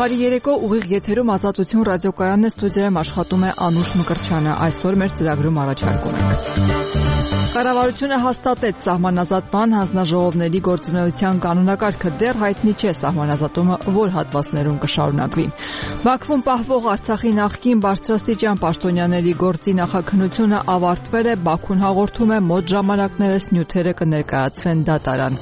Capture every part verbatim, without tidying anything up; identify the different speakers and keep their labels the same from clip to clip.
Speaker 1: Բարի երեկո, ուղիղ եթերում Ազատություն ռադիոկայանն է, ստուդիայում աշխատում է Անուշ Մկրտչյանը։ Այսօր մեր ծրագրում առաջարկում ենք. Կառավարությունը հաստատեց սահմանազատման հանձնաժողովների գործունեության կանոնակարգը, դեռ հայտնի չէ սահմանազատումը որ հատվածներում կշարունակվի։ Բաքվում պահվող Արցախի նախկին բարձրաստիճան պաշտոնյաների գործի նախաքննությունը ավարտվել է, Բաքուն հաղորդում է մոտ ժամանակներս նյութերը կներկայացվեն դատարան։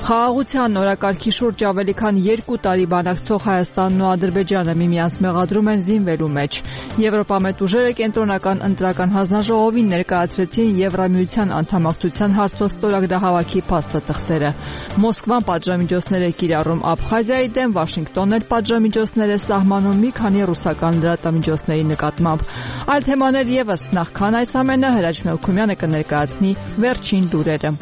Speaker 1: Խաղաղության նորակարգի շուրջ ավելի քան երկու տարի բանակցող Հայաստանն ու Ադրբեջանը միմյանց մեղադրում են զինվելու մեջ։ Եվրոպամետ ուժերը կենտրոնական ընտրական հանձնաժողովին ներկայացրեցին Եվրամիության անդամակցության հարցով ստորագրահավաքի փաստաթղթերը։ Մոսկվան պատժամիջոցներ է կիրառում Աբխազիայի դեմ, Վաշինգտոնն էլ պատժամիջոցներ է սահմանում մի քանի ռուսական լրատվամիջոցների նկատմամբ։ Այլ թեմաներ ևս, նախքան այս ամենը Հրաչ Մելքումյանը կներկայացնի վերջին լուրերը։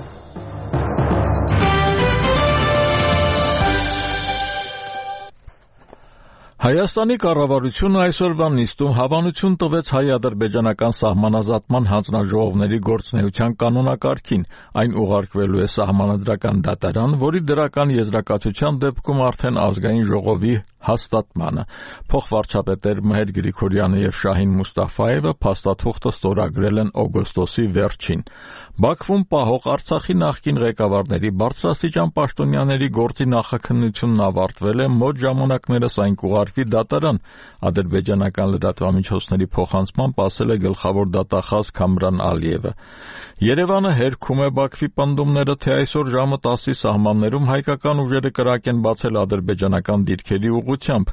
Speaker 2: Հայաստանի կառավարությունը այսօրվա նիստում հավանություն տվեց հայ-ադրբեջանական սահմանազատման հանձնաժողովների գործունեության կանոնակարգին։ Այն ուղարկվելու է սահմանադրական դատարան, որի դրական եզրակացության դեպքում արդեն ազգային ժողովի հաստատմանը։ Փոխվարչապետեր Մհեր Գրիգորյանը եւ Շահին Մուստաֆայևը փաստաթուղթը ստորագրել են օգոստոսի վերջին։ Բաքվում պահող Արցախի նախկին ղեկավարների բարձրաստիճան պաշտոնյաների գործի նախաքննությունն ավարտվել է, մոտ ժամանակներս այն կուղարկվի դատարան, ադրբեջանական լրատվամիջոցների փոխանցմամբ ասել է գլխավոր դատախազ Քամրան Ալիևը։ Երևանը հերքում է Բաքվի պնդումները, թե այսօր ժամը տասի սահմաններում հայկական ուժերը կրակ են բացել ադրբեջանական դիրքերի ուղղությամբ։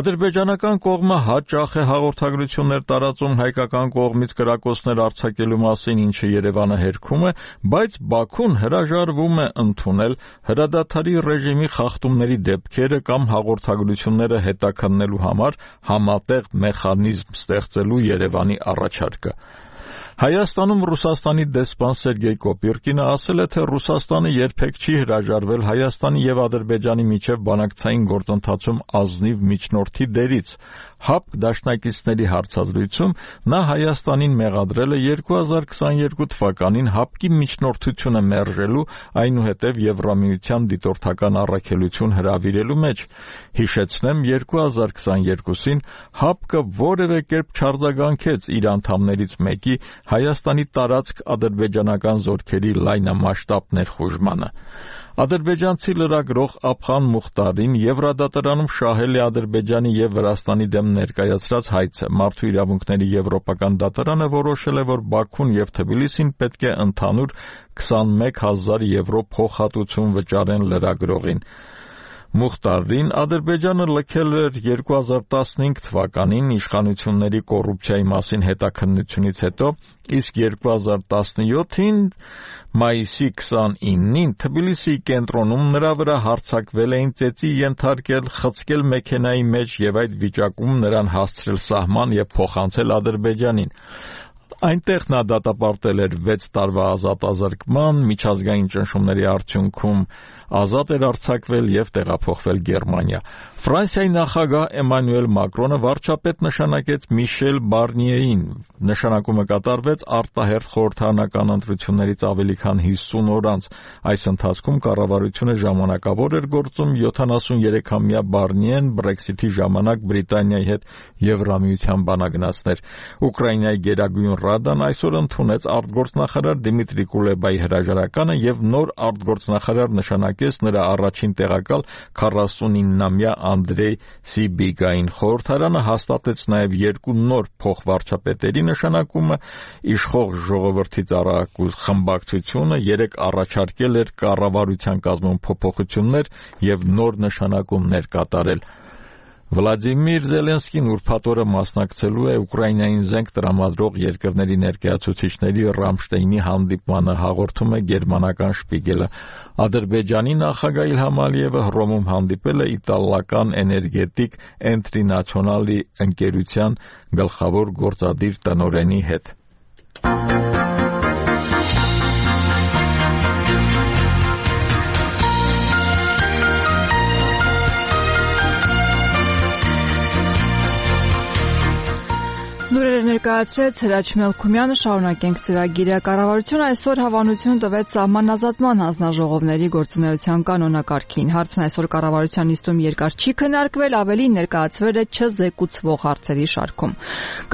Speaker 2: Ադրբեջանական կողմը հաճախ է հաղորդագրություններ տարածում հայկական կողմից կրակոցներ արձակելու մասին, ինչը Երևանը հերքում է, բայց Բաքուն հրաժարվում է ընդունել հրադադարի ռեժիմի խախտումների դեպքերը կամ հաղորդագրությունները հետաքննելու համար համատեղ մեխանիզմ ստեղծելու Երևանի առաջարկը։ Հայաստանում Ռուսաստանի դեսպան Սերգեյ Կոպիրկինը ասել է, թե Ռուսաստանը երբեք չի հրաժարվել Հայաստանի եւ Ադրբեջանի միջև բանակցային գործընթացում ազնիվ միջնորդի դերից։ ՀԱՊԿ դաշնակիցների հարցազրույցում նա Հայաստանին մեղադրել է երկու հազար քսաներկու թվականին ՀԱՊԿ-ի միջնորդությունը մերժելու, այնուհետև Եվրամիության դիտորդական առաքելություն հրավիրելու մեջ։ Հիշեցնեմ, երկու հազար քսաներկուսին ՀԱՊԿ-ը որևէ կերպ չարձագանքեց իր անդամներից մեկի Հայաստանի տարածք ադրբեջանական զորքերի լայնամասշտաբ ներխուժմանը։ Ադրբեջանցի լրագրող Աբխան Մուխտարին Եվրադատարանում շահել է Ադրբեջանի եւ Վրաստանի դեմ ներկայացրած հայցը։ Մարդու իրավունքների եվրոպական դատարանը որոշել է, որ Բաքուն եւ Թբիլիսին պետք է ընդհանուր քսանմեկ հազար եվրո փոխհատուցում վճարեն լրագրողին։ Մուխտարին Ադրբեջանը լքել էր երկու հազար տասնհինգ թվականին իշխանությունների կոռուպցիայի մասին հետաքննությունից հետո, իսկ երկու հազար տասնյոթին մայիսի քսանինին Թբիլիսիի կենտրոնում նրա վրա հարձակվել էին, ծեծի ենթարկել, խցկել մեքենայի մեջ եւ այդ վիճակում նրան հասցրել սահման եւ փոխանցել Ադրբեջանին։ Այնտեղ նա դատապարտել էր վեց տարվա ազատազրկման, միջազգային ճնշումների արդյունքում ազատ էր արձակվել եւ տեղափոխվել Գերմանիա։ Ֆրանսիայի նախագահ Էմանուել Մակրոնը վարչապետ նշանակեց Միշել Բարնիեին։ Նշանակումը կատարվեց արտահերթ խորհրդարանական ընտրություններից ավելի քան հիսուն օր անց։ Այս ընթացքում կառավարությունը ժամանակավոր էր գործում, յոթանասուներեքամյա Բարնիեն Բրեքսիթի ժամանակ Բրիտանիայի հետ Եվրամիության բանագնացներ։ Ուկրաինայի Գերագույն Ռադան այսօր ընդունեց արտգործնախարար Դիմիտրի Կուլեբայի հրաժարականը եւ նոր արտգործնախարար նշանակեց նրա առաջին տեղակալ քառասունիննամյա Անդրեյ Սիբիգային։ Խորհրդարանը հաստատեց նաև երկու նոր փոխվարչապետերի նշանակումը, իշխող ժողովրդի ծառայակու խմբակցությունը երեք առաջարկել էր կառավարության կազմում փոփոխություններ եւ նոր նշանակումներ կատարել։ Վլադիմիր Զելենսկին ուրբաթ օրը մասնակցելու է Ուկրաինային զենք տրամադրող երկրների ներկայացուցիչների Ռամշտեյնի հանդիպմանը, հաղորդում է գերմանական Շպիգելը։ Ադրբեջանի նախագահ Իլհամ Ալիևը Հռոմում հանդիպել է իտալական էներգետիկ Էնտրի Նացիոնալի ընկերության գլխավոր գործադիր տնօրենի հետ։
Speaker 1: Լուրերը ներկայացրեց Հրաչ Մելքումյանը, շարունակենք ծրագիրը։ Կառավարությունը այսօր հավանություն տվեց սահմանազատման հանձնաժողովների գործունեության կանոնակարգին։ Հարցն այսօր կառավարության նիստում երկար չի քննարկվել, ավելի ներկայացվել է չզեկուցվող հարցերի շարքում։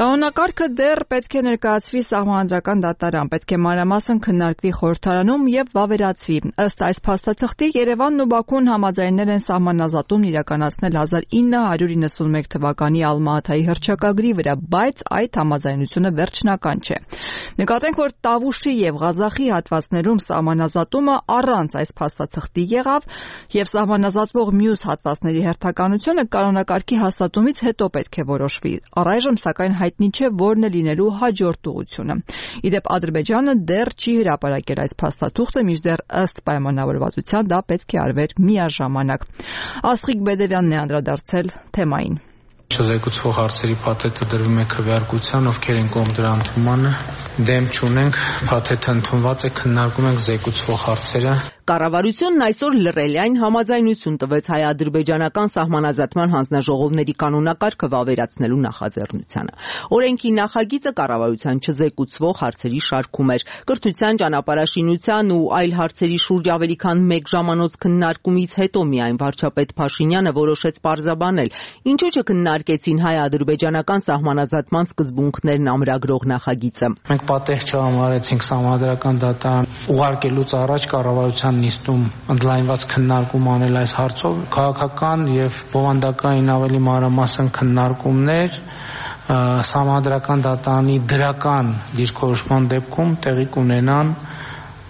Speaker 1: Կանոնակարգը դեռ պետք է ներկայացվի Սահմանադրական դատարան, պետք է մանրամասն քննարկվի խորհրդարանում եւ վավերացվի։ Ըստ այս փաստաթղթի Երևանն ու Բաքուն համաձայնել են սահմանազատումն իրականացնել հազար ինը հարյուր իննսունմեկ թվականի Ալմա-Աթայի հռչակագրի վրա, բայց այդ համաձայնությունը վերջնական չէ։ Նկատենք, որ Տավուշի եւ Ղազախի հատվածներում սահմանազատումը առանց այս փաստաթղթի եղավ եւ սահմանազատվող մյուս հատվածների հերթականությունը կանոնակարգի հաստատումից հետո պետք է որոշվի։ Առայժմ սակայն հայտնի չէ որն է լինելու հաջորդ ուղղությունը։ Իդեպ Ադրբեջանը դեռ չի հրապարակել այս փաստաթուղթը, մինչդեռ ըստ պայմանավորվածության դա պետք է արվեր միաժամանակ։ Աստղիկ Բեդևյանն է անդրադարձել թեմային։
Speaker 3: Չզեկուցվող հարցերի փաթեթը դրվում է քվեարկության, ովքեր են կողմ դրա ընդունմանը, դեմ չունենք, փաթեթը ընդունված է, քննարկում ենք զեկուցվող հարցերը։
Speaker 4: Կառավարությունն այսօր լրելային համաձայնություն տվեց հայ-ադրբեջանական սահմանազատման հանձնաժողովների կանոնակարգը վավերացնելու նախաձեռնությանը։ Օրենքի նախագիծը կառավարության չզեկուցվող հարցերի շարքում էր։ Կրթության, ճանապարհաշինության ու այլ հարցերի շուրջ ավելի քան մեկ ժամանոց քննարկումից հետո միայն վարչապետ Փաշինյանը որոշեց պարզաբանել, ինչու չքննարկեցին հայ-ադրբեջանական սահմանազատման սկզբունքներն ամրագրող նախագիծը։
Speaker 3: Մենք պատեհ չհամարեցինք Սահմանադրական դատարան ուղարկելուց առաջ կառավարության նիստում ընդլայնված քննարկում անել այս հարցով, քաղաքական եւ բովանդակային ավելի մանրամասն քննարկումներ Սահմանադրական դատարանի դրական դիրքորոշման դեպքում տեղի կունենան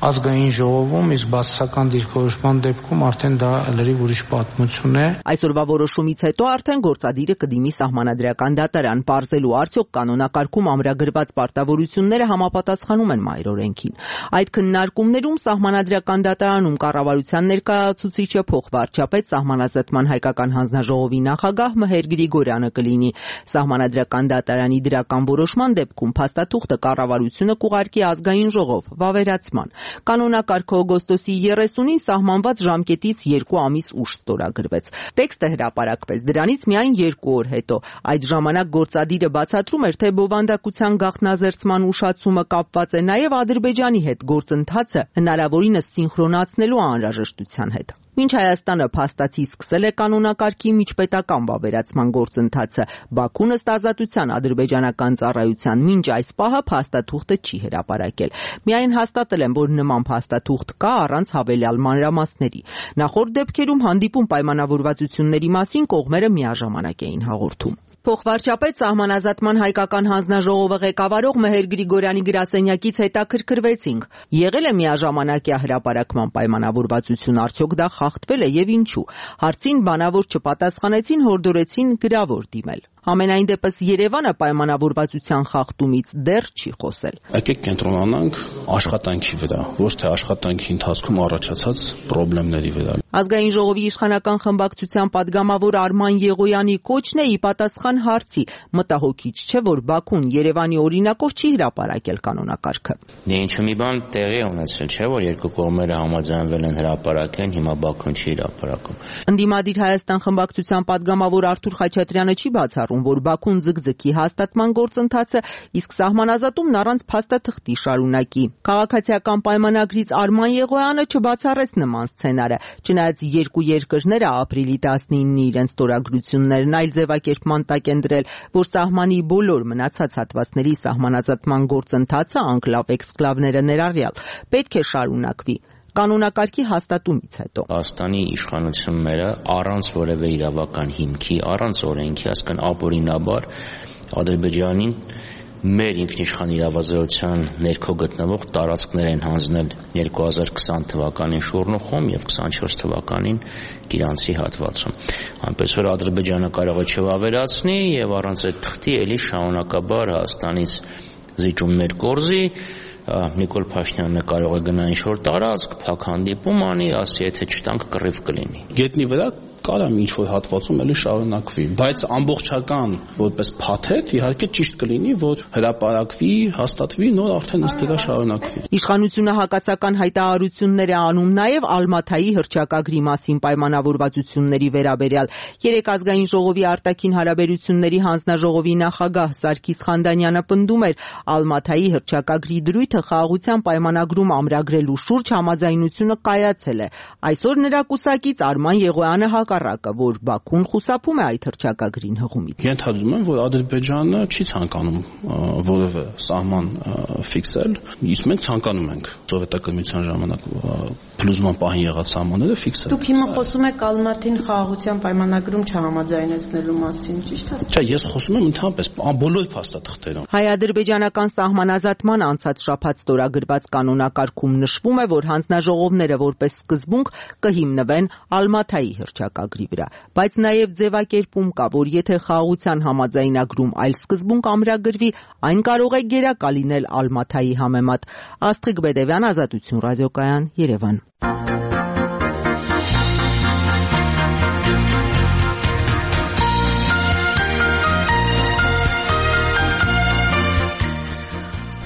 Speaker 3: ազգային ժողովում, իսկ բացասական դիրքորոշման դեպքում արդեն դա լրիվ ուրիշ պատմություն է։
Speaker 4: Այսօրվա որոշումից հետո արդեն գործադիրը կդիմի Սահմանադրական դատարան, պարզելու արդյոք կանոնակարգում ամրագրված պարտավորությունները համապատասխանում են մայրօրենքին։ Այդ քննարկումներում Սահմանադրական դատարանում կառավարության ներկայացուցիչը փոխվարչապետ Սահմանազատման հայկական հանձնաժողովի նախագահ Մհեր Գրիգորյանը կլինի։ Սահմանադրական դատարանի դրական որոշման դեպքում փաստաթուղթը կառավարությունը կուղարկի ազգային ժողով վավերացման։ Կանոնակարգը օգոստոսի երեսունին սահմանված ժամկետից երկու ամիս ուշ ստորագրվեց։ Տեքստը հրապարակվեց դրանից միայն երկու օր հետո։ Այդ ժամանակ գործադիրը բացատրում էր, թե բովանդակության գաղտնազերծման ուշացումը կապված է նաև Ադրբեջանի հետ գործընթացը հնարավորինս սինխրոնացնելու անհրաժեշտության հետ։ Մինչ Հայաստանը փաստացի սկսել է կանոնակարգի միջպետական վավերացման գործընթացը, Բաքուն ըստ Ազատության ադրբեջանական ծառայության մինչ այս պահը փաստաթուղթը չի հրապարակել։ Միայն հաստատել են, որ նման փաստաթուղթ կա առանց հավելյալ մանրամասների։ Նախորդ դեպքերում հանդիպում պայմանավորվածությունների մասին կողմերը միաժամանակ էին հաղորդում։ Փոխվարչապետ Սահմանազատման հայկական հանձնաժողովը ղեկավարող Մհեր Գրիգորյանի գրասենյակից հետաքրքրվեցինք։ Եղել է միաժամանակյա հրապարակման պայմանավորվածություն, արդյոք դա խախտվել է եւ ինչու։ Հարցին բանավոր չպատասխանեցին, հորդորեցին գրավոր դիմել։ Ամենայն դեպս Երևանը պայմանավորվածության խախտումից դեռ չի խոսել։
Speaker 5: Եկեք կենտրոնանանք աշխատանքի վրա, ոչ թե աշխատանքի ընթացքում առաջացած խնդիրների վրա։
Speaker 4: Ազգային ժողովի իշխանական խմբակցության падգամավոր Արման Եղոյանի կոչն է ի պատասխան հարցի, մտահոգիչ չէ, որ Բաքուն Երևանի օրինակով չի հրապարակել կանոնակարգը։
Speaker 6: Դե ինչու մի բան տեղի է ունեցել, չէ՞ որ երկու կողմերը համաձայնվել են հրապարակեն, հիմա Բաքուն չի հրապարակում։
Speaker 4: Ընդդիմադիր Հայաստան խմբակցության падգամավոր Արթուր Խաչատրյանը չի բացառում, որ Բաքուն ձգձգի հաստատման գործընթացը, իսկ սահմանազատումն առանց փաստաթղթի շարունակի։ Քաղաքացիական պայմանագրից Արման Եղոյանը չբացառեց նման սցենարը, չնայած երկու երկրները ապրիլի տասնինը իրենց ստորագրություններն այլ ձևակերպման տակ են դրել, որ սահմանի բոլոր մնացած հատվածների սահմանազատման գործընթացը անկլավ-էքսկլավները ներառյալ պետք է շարունակվի կանոնակարգի հաստատումից հետո։
Speaker 6: Հայաստանի իշխանությունները առանց որևէ իրավական հիմքի, առանց օրենքի, այսինքն ապօրինաբար Ադրբեջանին մեր ինքնիշխան իրավազորության ներքո գտնվող տարածքներ են հանձնել երկու հազար քսան թվականին Շորնուխում եւ քսանչորս թվականին Կիրանցի հատվածում։ Այնպես որ Ադրբեջանը կարող է չվավերացնի եւ առանց այդ թղթի էլի շարունակաբար Հայաստանից զիջումներ կորզի, Նիկոլ Փաշինյանը կարող է գնա ինչ-որ տարածք, փակ հանդիպում անի, ասի, եթե չտանք կռիվ կլինի։
Speaker 5: Գետնի վրա կարա ինչ որ հատվածում էլի շարունակվի, բայց ամբողջական որպես փաթեթ իհարկե ճիշտ կլինի, որ հրապարակվի, հաստատվի, նոր արդեն ըստ դրա շարունակվի։
Speaker 4: Իշխանությունը հակասական հայտարարություններ է անում նաև Ալմաթայի հռչակագրի մասին պայմանավորվածությունների վերաբերյալ։ Երեք ազգային ժողովի արտաքին հարաբերությունների հանձնաժողովի նախագահ Սարգիս Խանդանյանը պնդում էր, Ալմաթայի հռչակագրի դրույթը խաղաղության պայմանագրում ամրագրելու շուրջ համաձայնությունը կայացել է։ Այսօր նրա կուսակից Արման Եղոյանը հակառակը, որ Բաքուն խուսափում է այդ հռչակագրին հղումից։
Speaker 5: Ենթադրում եմ, որ Ադրբեջանը չի ցանկանում որևէ սահման ֆիքսել, իսկ մենք ցանկանում ենք սովետական ժամանակ փլուզման պահին եղած սահմանները ֆիքսել։
Speaker 7: Դուք հիմա խոսում եք Ալմաթին խաղաղության պայմանագրում չհամաձայնեցնելու մասին, ճիշտ է։
Speaker 5: Չէ, ես խոսում եմ ընդհանրապես բոլոր փաստաթղթերում։
Speaker 4: Հայ-ադրբեջանական սահմանազատման անցած շաբաթ ստորագրված կանոնակարգում նշվում է, որ հանձնաժողովները որպես սկզբունք կհիմնվեն Ալմաթայի հռչակագրի վրա, բայց նաև ձևակերպում կա, որ եթե խաղաղության համաձայնագրում այլ սկզբունք ամրագրվի, այն կարող է գերակա լինել Ալմաթայի համեմատ։ Աստղիկ Բեդևյան, Ազատություն ռադիոկայան, Երևան։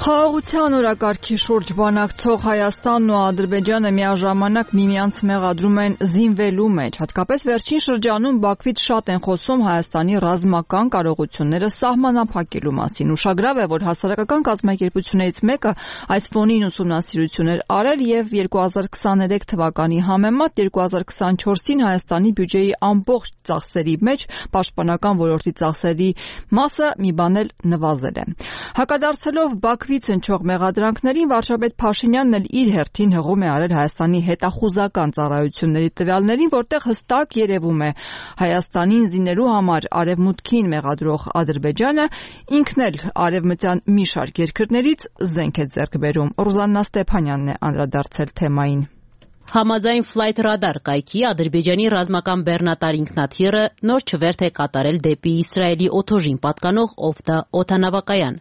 Speaker 1: Խաղաղության օրակարգի շուրջ բանակցող Հայաստանն ու Ադրբեջանը միաժամանակ միմյանց մեղադրում են զինվելու մեջ։ Հատկապես վերջին շրջանում Բաքվից շատ են խոսում Հայաստանի ռազմական կարողությունները սահմանափակելու մասին։ Ուշագրավ է, որ հասարակական կազմակերպություններից մեկը այս ֆոնին ուսումնասիրություն էր արել եւ երկու հազար քսաներեք թվականի համեմատ երկու հազար քսանչորսին Հայաստանի բյուջեի ամբողջ ծախսերի մեջ պաշտպանական ոլորտի ծախսերի մասը մի բան էլ նվազել է։ Հակադարձելով Բաքվի հնչող մեղադրանքներին վարչապետ Փաշինյանն էլ իր հերթին հղում է արել Հայաստանի հետախուզական ծառայությունների տվյալներին, որտեղ հստակ երևում է Հայաստանին զինելու համար արևմուտքին մեղադրող Ադրբեջանը ինքն էլ արևմտյան մի շարք երկրներից զենք է ձեռք բերում։ Ռուզաննա Ստեփանյանն է անդրադարձել թեմային։
Speaker 8: Համաձայն Flight Radar կայքի Ադրբեջանի ռազմական բեռնատար ինքնաթիռը նոր չվերթ է կատարել դեպի Իսրայելի օդուժին պատկանող Օվդա օդանավակայան։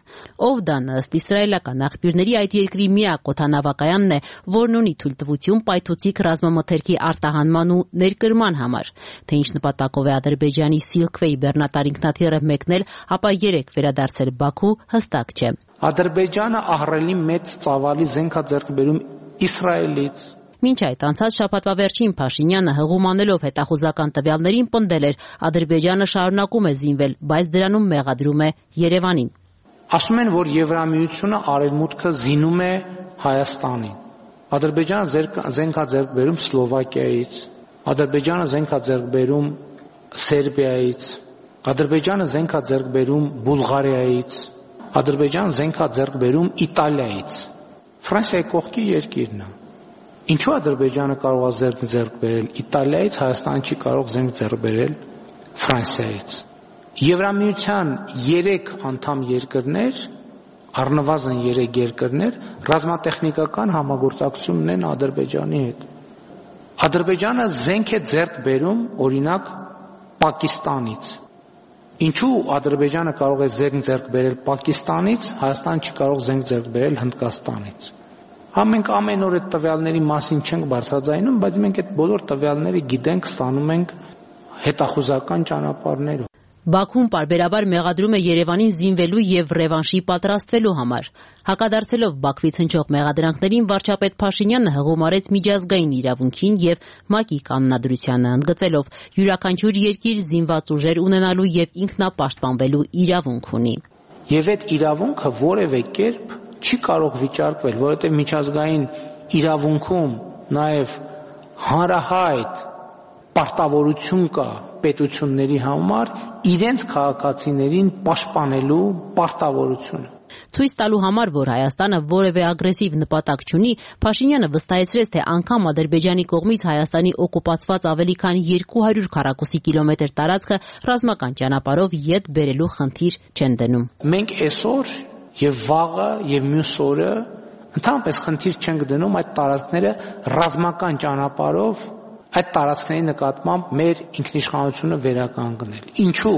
Speaker 8: Օվդան ըստ իսրայելական աղբյուրների այդ երկրի միակ օդանավակայանն է, որն ունի թույլտվություն պայթուցիկ ռազմամթերքի արտահանման ու ներկրման համար։ Թե ինչ նպատակով է Ադրբեջանի Silkway բեռնատար ինքնաթիռը մեկնել, ապա երեք վերադարձել Բաքու, հստակ չէ։
Speaker 3: Ադրբեջանը ահռելի մեծ ծավալի զենք է ձեռք բերում Իսրայելից։
Speaker 8: Մինչ այդ անցած շաբաթվա վերջին Փաշինյանը հղում անելով հետախուզական տվյալներին պնդել էր Ադրբեջանը շարունակում է զինվել, բայց դրանում մեղադրում է Երևանին։
Speaker 3: Ասում են, որ Եվրամիությունը արևմուտքը զինում է Հայաստանին։ Ադրբեջանը զենք է ձեռք բերում Սլովակիայից, Ադրբեջանը զենք է ձեռք բերում Սերբիայից, Ադրբեջանը զենք է ձեռք բերում Բուլղարիայից, Ադրբեջանը զենք է ձեռք բերում Իտալիայից։ Ֆրանսիայի կողքի երկիրն է։ Ինչու Ադրբեջանը կարող է զենք ձեռք բերել Իտալիայից, Հայաստանը չի կարող զենք ձեռք բերել Ֆրանսիայից։ Եվրամիության երեք անդամ երկրներ, առնվազն երեք երկրներ ռազմատեխնիկական համագործակցություն ունեն Ադրբեջանի հետ։ Ադրբեջանը զենք է ձեռք բերում, օրինակ, Պակիստանից։ Ինչու Ադրբեջանը կարող է զենք ձեռք բերել Պակիստանից, Հայաստանը չի կարող զենք ձեռք բերել Հնդկաստանից։ Հա մենք ամեն օր այդ տվյալների մասին չենք բարձրաձայնում, բայց մենք այդ բոլոր տվյալները գիտենք, ստանում ենք հետախուզական ճանապարհներով։
Speaker 8: Բաքուն պարբերաբար մեղադրում է Երևանին զինվելու եւ ռևանշի պատրաստվելու համար։ Հակադարձելով Բաքվից հնչող մեղադրանքներին վարչապետ Փաշինյանը հղում արեց միջազգային իրավունքին եւ ՄԱԿ-ի կանոնադրությանը, ընդգծելով յուրաքանչյուր երկիր զինված ուժեր ունենալու եւ ինքնապաշտպանվելու իրավունք ունի։
Speaker 3: Եվ այդ իրավունքը որևէ կերպ չի կարող վիճարկվել, որովհետեւ միջազգային իրավունքում նաեւ հանրահայտ պարտավորություն կա պետությունների համար իրենց քաղաքացիներին պաշտպանելու պարտավորությունը։
Speaker 8: Ցույց տալու համար, որ Հայաստանը որևէ ագրեսիվ նպատակ չունի, Փաշինյանը վստահեցրեց, թե անգամ Ադրբեջանի կողմից Հայաստանի օկուպացված ավելի քան երկու հարյուր քառակուսի կիլոմետր տարածքը ռազմական ճանապարհով ետ բերելու խնդիր չեն դնում։
Speaker 3: Մենք այսօր եւ վաղը եւ մյուս օրը ընդհանրապես խնդիր չենք դնում այդ տարածքները ռազմական ճանապարհով այդ տարածքների նկատմամբ մեր ինքնիշխանությունը վերականգնել։ Ինչու՞։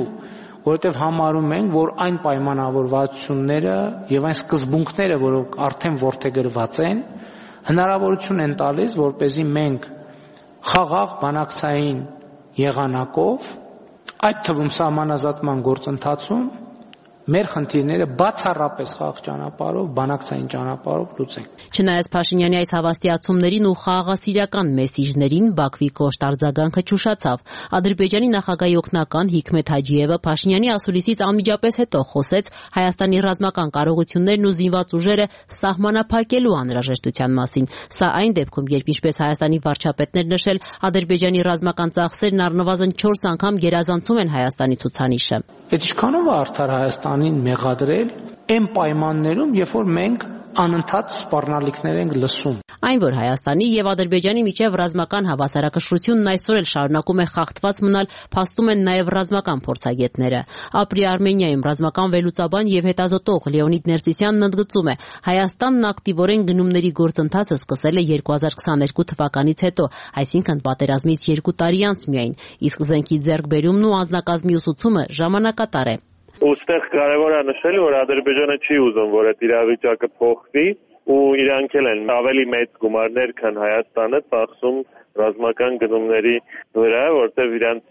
Speaker 3: Որովհետև համարում ենք, որ այն պայմանավորվածությունները եւ այն սկզբունքները, որոնք արդեն որդեգրված են, հնարավորություն են տալիս, որպեսզի մենք խաղաղ բանակցային եղանակով, այդ թվում սահմանազատման գործընթացում մեր խնդիրները բացառապես խաղաղ ճանապարհով, բանակցային ճանապարհով լուծենք։
Speaker 8: Չնայած Փաշինյանի այս հավաստիացումներին ու խաղաղասիրական մեսիջներին Բաքվի կոշտ արձագանքը չուշացավ։ Ադրբեջանի նախագահի օգնական Հիկմեթ Հաջիևը Փաշինյանի ասուլիսից անմիջապես հետո խոսեց Հայաստանի ռազմական կարողություններն ու զինված ուժերը սահմանափակելու անհրաժեշտության մասին։ Սա այն դեպքում, երբ ինչպես Հայաստանի վարչապետներ նշել, Ադրբեջանի ռազմական ծախսերն առնվազն չորս անգամ գերազանցում են Հայաստանի ցուցանիշը։
Speaker 3: Այդ ինչքանով է արդար Հայաստանին մեղադրել այն պայմաններում, երբ որ մենք անընդհատ սպառնալիքներ ենք լսում։
Speaker 8: Այն, որ Հայաստանի եւ Ադրբեջանի միջև ռազմական հավասարակշռությունն այսօր էլ շարունակում է խախտված մնալ, փաստում են նաեւ ռազմական փորձագետները։ Ապրի Արմենիայում ռազմական վերլուծաբան եւ հետազոտող Լեոնիդ Ներսիսյանն ընդգծում է, Հայաստանն ակտիվորեն գնումների գործընթացը սկսել է երկու հազար քսաներկու թվականից հետո, այսինքն պատերազմից երկու տարի անց միայն, իսկ զենքի ձեռքբերումն ու անձնակազմի ուսուցումը ժամանակատար է։
Speaker 9: Ոստեղ կարևոր է նշել, որ Ադրբեջանը չի ուզում, որ այդ իրավիճակը փոխվի ու իրանք էլ են ավելի մեծ գումարներ, քան Հայաստանը ծախսում ռազմական գնումների վրա, որտեղ իրանք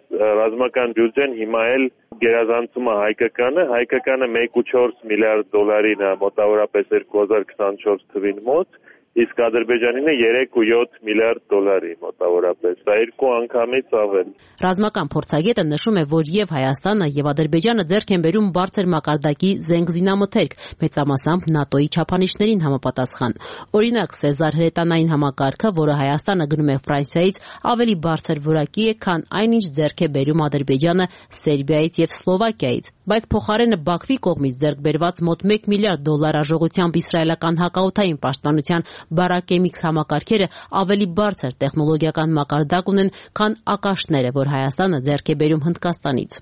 Speaker 9: ռազմական բյուջեն հիմա էլ գերազանցում է հայկականը, հայկականը մեկ կόμμα չորս միլիարդ դոլարին է մոտավորապես երկու հազար քսանչորս թվին մոտ, իսկ Ադրբեջանին է երեք կόμμα յոթ միլիարդ դոլարի մոտավորապես, դա երկու անգամից ավել։
Speaker 8: Ռազմական փորձագետը նշում է, որ եւ Հայաստանը եւ Ադրբեջանը ձեռք են բերում բարձր մակարդակի զենք-զինամթերք, մեծամասամբ ՆԱՏՕ-ի չափանիշներին համապատասխան։ Օրինակ, Սեզար հրետանային համակարգը, որը Հայաստանը գնում է Ֆրանսիայից, ավելի բարձր որակի է, քան այն, ինչ ձեռք է բերում Ադրբեջանը Սերբիայից եւ Սլովակիայից, բայց փոխարենը Բաքվի կողմից ձեռք բերված մոտ մեկ միլիարդ դոլար արժողությամբ իսրայելական հակաօդային պաշտպանության Բարակեմիքս համակարգերը ավելի բարձր տեխնոլոգիական մակարդակ ունեն, քան ակաշները, որ Հայաստանը ձեռք է բերում Հնդկաստանից։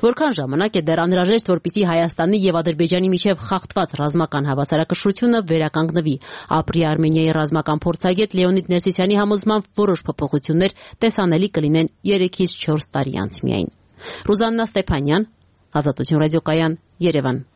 Speaker 8: Որքան ժամանակ է դեռ անհրաժեշտ, որպեսզի Հայաստանի եւ Ադրբեջանի միջև խախտված ռազմական հավասարակշռությունը վերականգնվի։ Ապրի Արմենիայի ռազմական փորձագետ Լեոնիդ Ներսիսյանի համոզմամբ որոշ փոփոխություններ տեսանելի կլինեն երեքից չորս տարի անց միայն։ Ռուզաննա Ստեփանյան, Ազատություն ռադիոկայան, Երևան։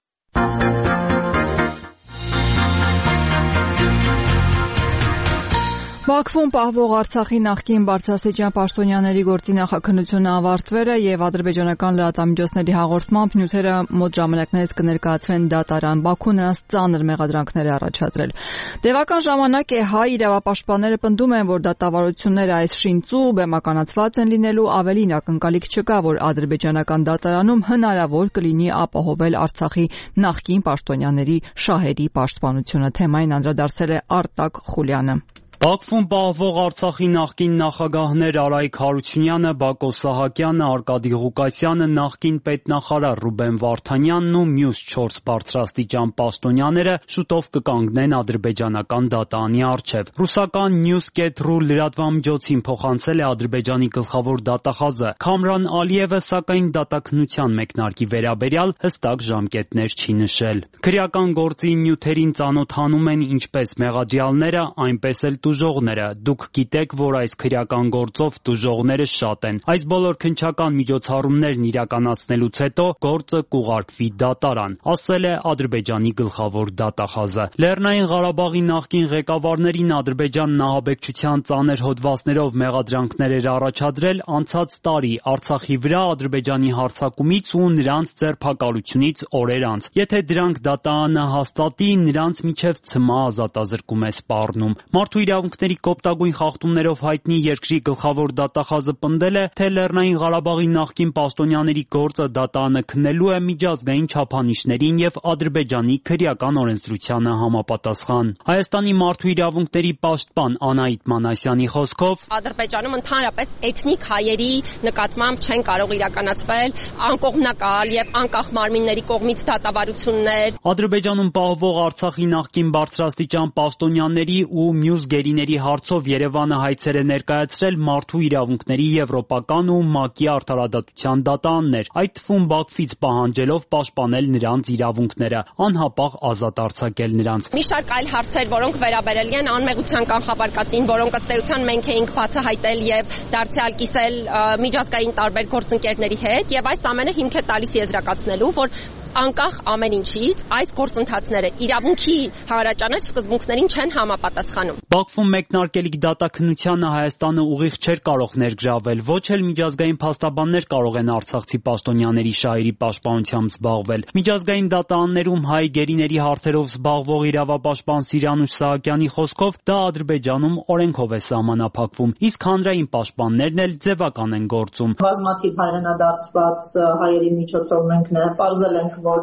Speaker 1: Բաքվում պահվող Արցախի նախկին բարձրաստիճան պաշտոնյաների գործի նախաքննությունը ավարտվել է եւ ադրբեջանական լրատվամիջոցների հաղորդմամբ նյութերը մոտ ժամանակներից կներկայացվեն դատարան։ Բաքուն նրանց ծանր մեղադրանքներ է առաջադրել։ Տևական ժամանակ է հայ իրավապաշտպանները պնդում են, որ դատավարությունները այս շինծու բեմականացված են լինելու, ավելին ակնկալիք չկա, որ ադրբեջանական դատարանում հնարավոր կլինի ապահովել Արցախի նախկին պաշտոնյաների շահերի պաշտպանությունը։ Թեմային անդրադարձել է Արտակ Խուլյանը։
Speaker 10: Բաքվում պահվող Արցախի նախկին նախագահներ Արայք Հարությունյանը, Բակո Սահակյանը, Արկադի Ղուկասյանը, նախկին պետնախարար Ռուբեն Վարդանյանն ու մյուս չորս բարձրաստիճան պաշտոնյաները շուտով կկանգնեն ադրբեջանական դատարանի առջև։ Ռուսական News.ru լրատվամիջոցին փոխանցել է Ադրբեջանի գլխավոր դատախազը։ Քամրան Ալիևը, սակայն, դատաքննության մեկնարկի վերաբերյալ հստակ ժամկետներ չի նշել։ Քրեական գործի նյութերին ծանոթանում են ինչպես մեղադրյալները, այնպես էլ տուժողները։ Դուք գիտեք, որ այս քրեական գործով տուժողները շատ են։ Այս բոլոր քննչական միջոցառումներն իրականացնելուց հետո գործը կուղարկվի դատարան, ասել է Ադրբեջանի գլխավոր դատախազը։ Լեռնային Ղարաբաղի նախկին ղեկավարներին Ադրբեջանն ահաբեկչության ծանր հոդվածներով մեղադրանքներ էր առաջադրել անցած տարի Արցախի վրա Ադրբեջանի հարձակումից ու նրանց ձերբակալությունից օրեր անց։ Եթե դրանք դատարանը հաստատի, նրանց միջև ցմահ ազատազրկում է սպառնում։ Մարդու իրավունքների կոպտագույն խախտումներով հայտնի երկրի գլխավոր դատախազը պնդել է, թե Լեռնային Ղարաբաղի նախկին պաշտոնյաների գործը դատարանը քննելու է միջազգային չափանիշներին եւ Ադրբեջանի քրեական օրենսդրությանը համապատասխան։ Հայաստանի մարդու իրավունքների պաշտպան Անահիտ Մանասյանի խոսքով
Speaker 11: Ադրբեջանում ընդհանրապես էթնիկ հայերի նկատմամբ չեն կարող իրականացվել անկողմնակալ եւ անկախ մարմինների կողմից դատավարություններ։
Speaker 10: Ադրբեջանում պահվող Արցախի նախկին բարձրաստիճան պաշտոնյաների ու մյուս գերիների հարցով Երևանը հայցեր է ներկայացրել մարդու իրավունքների եվրոպական ու ՄԱԿ-ի արդարադատության դատարաններ, այդ թվում Բաքվից պահանջելով պաշտպանել նրանց իրավունքները, անհապաղ ազատ արձակել նրանց։
Speaker 11: Մի շարք այլ հարցեր, որոնք վերաբերել են անմեղության կանխապարկածին, որոնք ըստ էության մենք էինք բացահայտել եւ դարձյալ կիսել միջազգային տարբեր գործընկերների հետ, եւ այս ամենը հիմք է տալիս եզրակացնելու, որ անկախ ամեն ինչից այս գործընթացները իրավունքի հանրաճանաչ սկզբունքներին չեն համապատասխանում։
Speaker 10: Բաքվում մեկնարկելիք դատաքննությանը Հայաստանը ուղիղ չէր կարող ներգրավել, ոչ էլ միջազգային փաստաբաններ կարող են արցախցի պաշտոնյաների շահերի պաշտպանությամբ զբաղվել։ Միջազգային դատարաններում հայ գերիների հարցերով զբաղվող իրավապաշտպան Սիրանուշ Սահակյանի խոսքով դա Ադրբեջանում օրենքով է սահմանափակվում, իսկ հանրային պաշտպաններն էլ ձևական են գործում։
Speaker 12: Բազմաթիվ հայրենադարձված հայերի միջոցով մենք նաև պարզել ենք, որ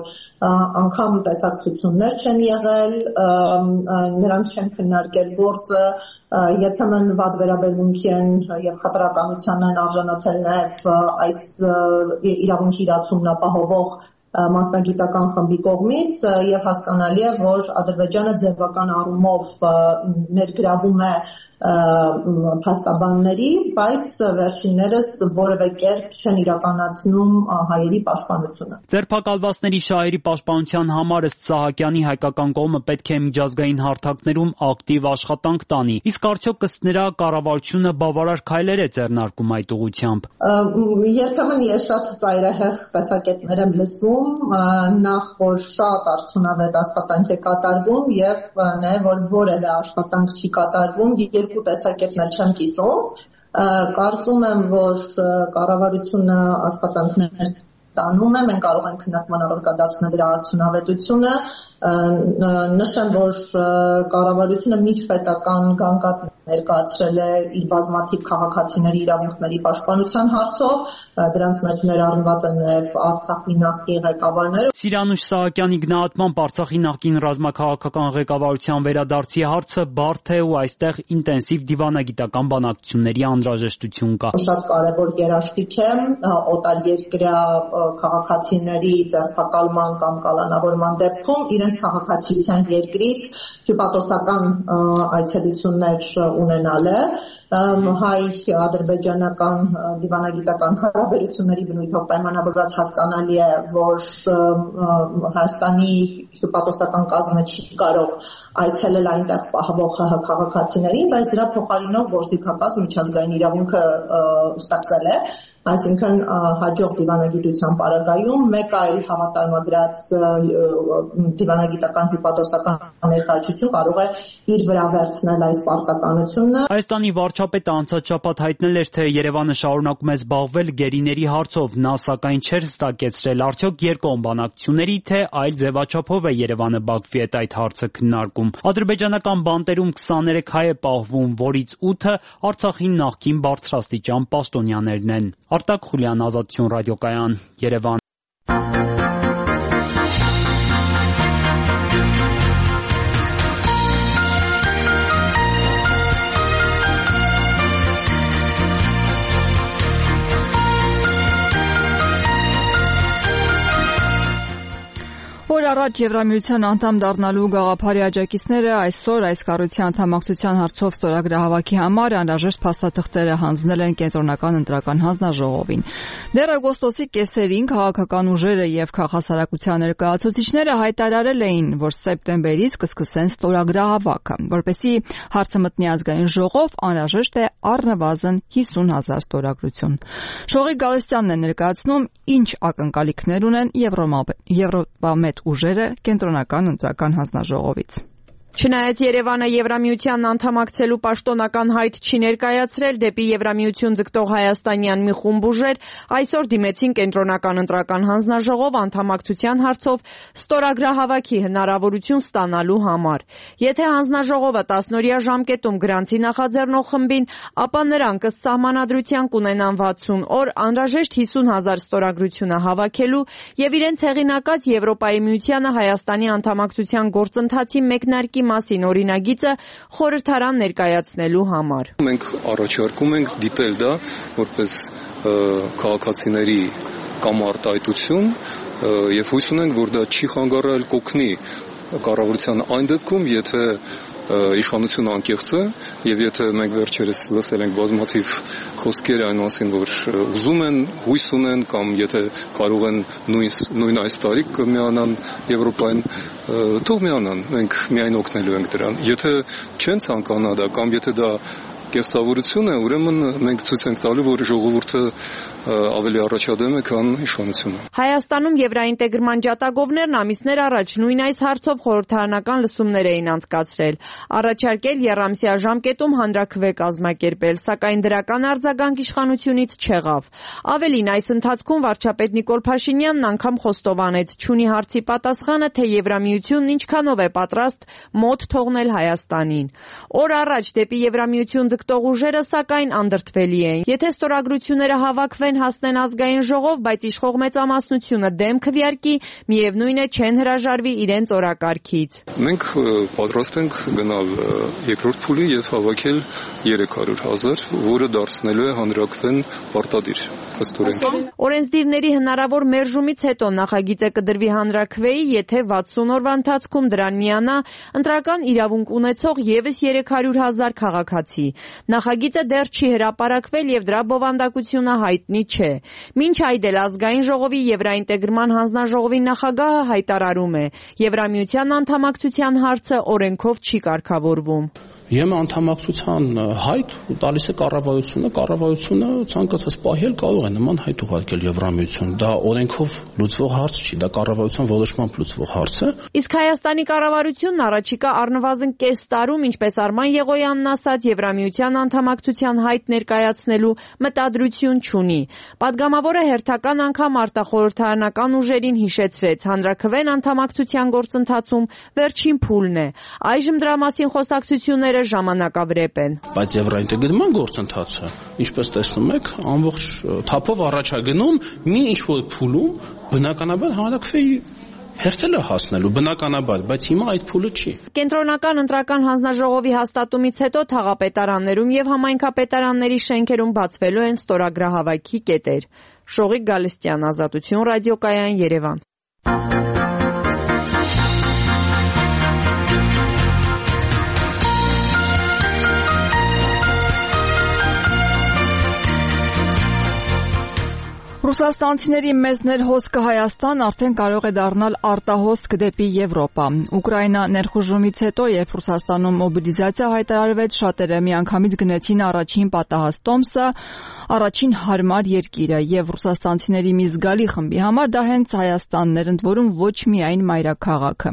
Speaker 12: անգամ տեսակցություններ չեն եղել, նրանք չեն քննարկել գործը, երբեմն վատ վերաբերմունքի են եւ խտրականության են արժանացել նաև այս իրավունքի իրացումն ապահովող մասնագիտական խմբի կողմից եւ հասկանալի է, որ Ադրբեջանը ձևական առումով ներգրավում է փաստաբանների, բայց վերջիններս որևէ կերպ չեն իրականացնում հայերի պաշտպանությունը։
Speaker 10: Ձերբակալվածների շահերի պաշտպանության համար ըստ Սահակյանի հայկական կողմը պետք է միջազգային հարթակներում ակտիվ աշխատանք տանի, իսկ արդյոք ըստ նրա կառավարությունը բավարար քայլեր է ձեռնարկում այդ ուղղությամբ։
Speaker 12: Երբեմն ես շատ ծայրահեղ տեսակետներ եմ լսում, նախ որ շատ արդյունավետ աշխատանք է կատարվում եւ նաեւ որ որևէ աշխատանք չի կատարվում, երկու տեսակետներ չեմ կիսում, կարծում եմ, որ կառավարությունը աշխատանքներ տանում է, մենք կարող ենք քննարկման առարկա դարձնել դրա արդյունավետությունը, նշեմ, որ կառավարությունը միջպետական գանգատ ներկայացրել է իր բազմաթիվ քաղաքացիների իրավունքների պաշտպանության հարցով, դրանց մեջ ներառնված են նաև Արցախի նախկին ղեկավարները։
Speaker 10: Սիրանուշ Սահակյանի գնահատմամբ Արցախի նախկին ռազմաքաղաքական ղեկավարության վերադարձի հարցը բարդ է ու այստեղ ինտենսիվ դիվանագիտական բանակցությունների անհրաժեշտություն կա։
Speaker 12: Շատ կարևոր երաշխիք է օտարերկրյա քաղաքացիների ձերբակալման կամ կալանավորման դեպքում իրենց քաղաքացիության երկրից հյուպատոսական այցելություններ ունենալը հայ-ադրբեջանական դիվանագիտական հարաբերությունների բնույթով պայմանավորված հասկանալի է, որ Հայաստանի հյուպատոսական կազմը չի կարող այցելել այնտեղ պահվող քաղաքացիներին, բայց դրա փոխարինող գործիքակազմ միջազգային իրավունքը ստեղծել է, այսինքն հաջող դիվանագիտության պարագայում մեկ այլ հավատարմագրած դիվանագիտական հյուպատոսական ներկայացություն կարող է իր վրա վերցնել այս պարտականությունը։
Speaker 10: Հայաստանի վարչապետը անցած շաբաթ հայտնել էր, թե Երևանը շարունակում է զբաղվել գերիների հարցով, նա սակայն չէր հստակեցրել արդյոք երկկողմ բանակցությունների, թե այլ ձևաչափով է Երևանը Բաքվի հետ այդ հարցը քննարկում։ Ադրբեջանական բանտերում քսաներեք հայ է պահվում, որից ութը Արցախի նախկին բարձրաստիճան պաշտոնյաներն են։ Արտակ Խուլյան, Ազատություն ռադիոկայան, Երևան։
Speaker 1: Օր առաջ Եվրամիության անդամ դառնալու գաղափարի աջակիցները այսօր այս կառույցի անդամակցության հարցով ստորագրահավաքի համար անհրաժեշտ փաստաթղթերը հանձնել են Կենտրոնական ընտրական հանձնաժողովին։ Դեռ օգոստոսի կեսերին քաղաքական ուժերը եւ քաղաքասարակության ներկայացուցիչները հայտարարել էին, որ սեպտեմբերից կսկսեն ստորագրահավաքը, որպեսզի հարցը մտնի ազգային ժողով, անհրաժեշտ է առնվազն հիսուն հազար ստորագրություն։ Շողիկ Գալստյանն է ներկայացնում, ինչ ակնկալիքներ ունեն Եվրոպամետ ուժերը Կենտրոնական ընտրական հանձնաժողովից։
Speaker 13: Չնայած Երևանը Եվրամիությանն անդամակցելու պաշտոնական հայտ չի ներկայացրել, դեպի Եվրամիություն ձգտող հայաստանյան մի խումբ ուժեր այսօր դիմեցին Կենտրոնական ընտրական հանձնաժողով անդամակցության հարցով ստորագրահավաքի հնարավորություն ստանալու համար։ Եթե հանձնաժողովը տասնօրյա ժամկետում գրանցի նախաձեռնող խմբին, ապա նրանք ըստ սահմանադրության կունենան վաթսուն օր անհրաժեշտ հիսուն հազար ստորագրությունը հավաքելու եւ իրենց հեղինակած Եվրոպայի միությանը Հայաստանի անդամակցության գործընթացի մեկնարկի մասին օրինագիծը խորհրդարան ներկայացնելու համար։
Speaker 14: Մենք առաջարկում ենք դիտել դա որպես քաղաքացիների կամ արտահայտություն եւ հույս ունենք, որ դա չի խանգարել կօգնի կառավարության այն դեպքում, եթե իշխանությունը անկեղծ է եւ եթե մենք վերջերս լսել ենք բազմաթիվ խոսքեր այն մասին, որ ուզում են, հույս ունեն կամ եթե կարող են նույն նույն այս տարի կմիանան Եվրոպային, թող միանան, մենք միայն օգնելու ենք դրան։ Եթե չեն ցանկանա դա կամ եթե դա կեղծավորություն է, ուրեմն մենք ցույց ենք տալու, որ ժողովուրդը ավելի առաջադեմ է, քան իշխանությունը։
Speaker 13: Հայաստանում եվրաինտեգրման ջատագովներն ամիսներ առաջ նույն այս հարցով խորհրդարանական լսումներ էին անցկացրել, առաջարկել եռամսյա ժամկետում հանրաքվե կազմակերպել, սակայն դրական արձագանք իշխանությունից չեղավ։ Ավելին, այս ընթացքում վարչապետ Նիկոլ Փաշինյանն անգամ խոստովանեց, չունի հարցի պատասխանը, թե Եվրամիությունն ինչքանով է պատրաստ մոտ թողնել Հայաստանին։ Օր առաջ դեպի Եվրամիություն ձգտող ուժերը, սակայն, անդրդվելի են։ Եթե ստորագրությունները հավաքվեն, հասնեն ազգային ժողով, բայց իշխող մեծամասնությունը դեմ քվեարկի, միևնույն է չեն հրաժարվի իրենց օրակարգից։
Speaker 14: Մենք պատրաստ ենք գնալ երկրորդ փուլի եւ հավաքել երեք հարյուր հազար, որը դարձնելու է հանրաքվեն պարտադիր։
Speaker 13: Օրենսդիրների հնարավոր մերժումից հետո նախագիծը կդրվի հանրաքվեի, եթե վաթսուն օրվա ընթացքում դրան միանա ընտրական իրավունք ունեցող ևս երեք հարյուր հազար քաղաքացի։ Նախագիծը դեռ չի հրապարակվել եւ դրա բովանդակությունը հայտնի չէ։ Մինչ այդ էլ ազգային ժողովի Եվրաինտեգրման հանձնաժողովի նախագահը հայտարարում է, Եվրամիության անդամակցության հարցը օրենքով չի կարգավորվում։
Speaker 5: Եմը անդամակցության հայտ տալիս է կառավարությունը, կառավարությունը ցանկացած պահի կարող է նման հայտ ուղարկել Եվրամիություն։ Դա օրենքով լուծվող հարց չի, դա կառավարության որոշմամբ լուծվող հարց է։
Speaker 13: Իսկ Հայաստանի կառավարությունն առաջիկա առնվազն կես տարում, ինչպես Արման Եղոյանն ասաց, Եվրամիության անդամակցության հայտ ներկայացնելու մտադրություն չունի։ Պատգամավորը հերթական անգամ արտախորհրդարանական ուժերին հիշեցրեց, հանրաքվեն անդամակցության գործընթացում վերջին փուլն է։ Այժմ դրա մասին խոսակցությունները ժամանակավրեպ են։
Speaker 5: Բայց եվրաինտեգրման գործընթացը, ինչպես տեսնում եք, ամբողջ թափով առաջ է գնում մի ինչ-որ փուլում, բնականաբար հանրաքվեի հերթել է հասնելու, բնականաբար, բայց հիմա այդ փուլը չի։
Speaker 13: Կենտրոնական ընտրական հանձնաժողովի հաստատումից հետո թաղապետարաններում եւ համայնքապետարանների շենքերում բացվելու են ստորագրահավաքի կետեր։ Շողիկ Գալստյան, Ազատություն ռադիոկայան, Երևան։
Speaker 1: Ռուսաստանցիների մեծներ հոսքը Հայաստան արդեն կարող է դառնալ արտահոսք դեպի Եվրոպա։ Ուկրաինա ներխուժումից հետո, երբ Ռուսաստանում մոբիլիզացիա հայտարարվեց, շատերը միանգամից գնեցին առաջին պատահած տոմսը, առաջին հարմար երկիրը, եւ ռուսաստանցիների մի զգալի խմբի համար դա հենց Հայաստանն էր, ընդ որում ոչ միայն մայրաքաղաքը։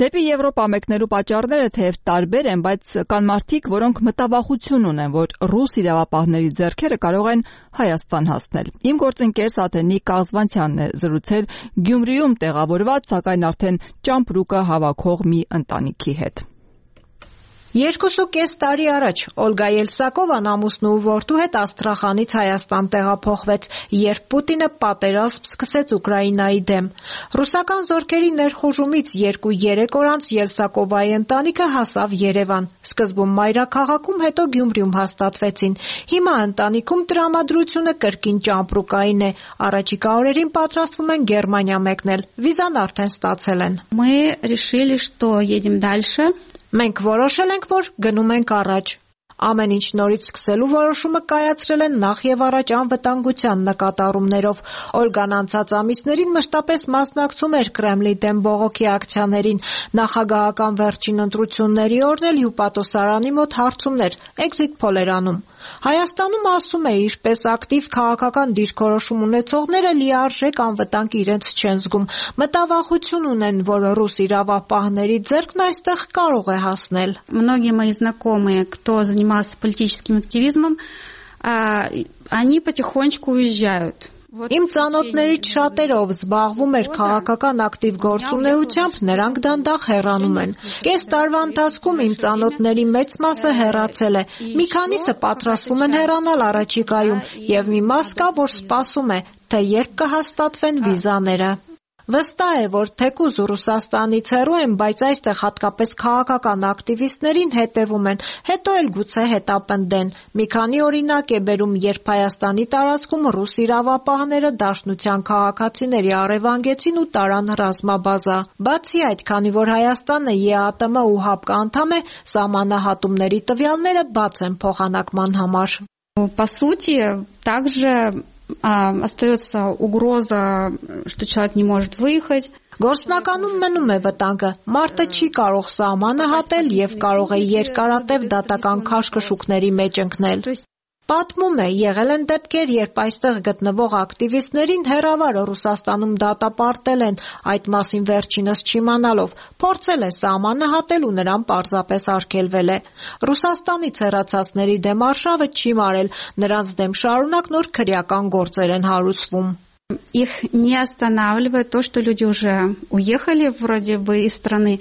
Speaker 1: Դեպի Եվրոպա մեկնելու պատճառները թեև տարբեր են, բայց կան մարդիկ, որոնք մտավախություն ունեն, որ ռուս իրավապահների ձեռքերը կարող են Հայաստան հասնել։ Իմ գործընկեր Սաթենիկ Կազվանցյանն է զրուցել Գյումրիում տեղավորված, սակայն արդեն ճամպրուկը հավաքող մի ընտանիքի հետ։
Speaker 15: Երկուսուկես տարի առաջ Օլգա Ելսակովան ամուսնու ու որդու հետ Աստրախանից Հայաստան տեղափոխվեց, երբ Պուտինը պատերազմ սկսեց Ուկրաինայի դեմ։ Ռուսական զորքերի ներխուժումից երկու-երեք օր անց Ելսակովայի ընտանիքը հասավ Երևան։ Սկզբում մայրաքաղաքում, հետո Գյումրիում հաստատվեցին։ Հիմա ընտանիքում տրամադրությունը կրկին ճամպրուկային է։ Առաջիկա օրերին պատրաստվում են Գերմանիա մեկնել։ Վիզան արդեն ստացել են։
Speaker 16: Мы решили, что едем дальше.
Speaker 15: Մենք որոշել ենք, որ գնում ենք առաջ։ Ամեն ինչ նորից սկսելու որոշումը կայացրել են նախ եւ առաջ անվտանգության նկատառումներով։ Օլգան անցած ամիսներին մշտապես մասնակցում էր Կրեմլի դեմ բողոքի ակցիաներին։ Նախագահական վերջին ընտրությունների օրն էլ հյուպատոսարանի մոտ հարցումներ, էքզիտ փոլ էր անում։ Հայաստանում, ասում է, ինչպես ակտիվ քաղաքական դիրքորոշում ունեցողները լիարժեք անվտանգ իրենց չեն զգում։ Մտավախություն ունեն, որ ռուս իրավապահների ձեռքն այստեղ կարող է հասնել։
Speaker 16: Многие мои знакомые, кто занимался политическим активизмом, они потихонечку уезжают.
Speaker 15: Իմ ծանոթներից շատերով զբաղվում էր քաղաքական ակտիվ գործունեությամբ, նրանք դանդաղ հեռանում են։ Կես տարվա ընթացքում իմ ծանոթների մեծ մասը հեռացել է։ Մի քանիսը պատրաստվում են հեռանալ առաջիկայում, եւ մի մաս կա, որ սպասում է, թե երբ կհաստատվեն վիզաները։ Վստահ է, որ թեկուզ Ռուսաստանից հեռու են, բայց այստեղ հատկապես քաղաքական ակտիվիստներին հետևում են, հետո էլ գուցե հետապնդեն։ Մի քանի օրինակ է բերում, երբ Հայաստանի տարածքում ռուս իրավապահները դաշնության քաղաքացիների առևանգեցին ու տարան ռազմաբազա։ Բացի այդ, քանի որ Հայաստանը ԵԱՏՄ ու ՀԱՊԿ անդամ է, սահմանահատումների տվյալները բաց են փոխանակման համար։
Speaker 16: По сути, также остается угроза, что человек не может выехать.
Speaker 15: Գործնականում մնում է վտանգը։ Մարդը չի կարող սահմանը հատել եւ կարող է երկարատև դատական քաշքշուկների մեջ ընկնել։ Պատմում է, եղել են դեպքեր, երբ այստեղ գտնվող ակտիվիստներին հեռավար Ռուսաստանում դատապարտել են, այդ մասին վերջինս չիմանալով, փորձել է սահմանը հատել ու նրան պարզապես արգելվել է։ Ռուսաստանից հեռացածների դեմ արշավը չի մարել, նրանց դեմ շարունակ նոր քրեական գործեր են հարուցվում։
Speaker 16: Их не останавливает то, что люди уже уехали вроде бы из страны.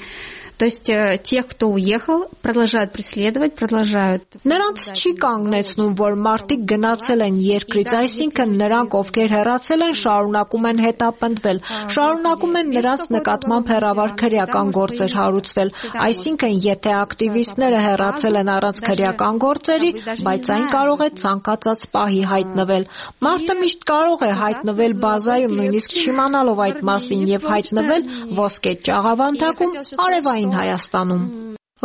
Speaker 16: То есть тех, кто уехал, продолжают преследовать, продолжают.
Speaker 15: Նրանց չի կանգնեցնում, որ մարդիկ գնացել են երկրից, այսինքն նրանք, ովքեր հեռացել են, շարունակում են հետապնդվել, շարունակում են նրանց նկատմամբ հեռավար քրեական գործեր հարուցվել, այսինքն եթե ակտիվիստները հեռացել են առանց քրեական գործերի, բայց այն կարող է ցանկացած պահի հայտնվել։ Մարդը միշտ կարող է հայտնվել բազայում, նույնիսկ չիմանալով այդ մասին եւ հայտնվել ոսկե ճաղավանդակում, արևային Հայաստանում։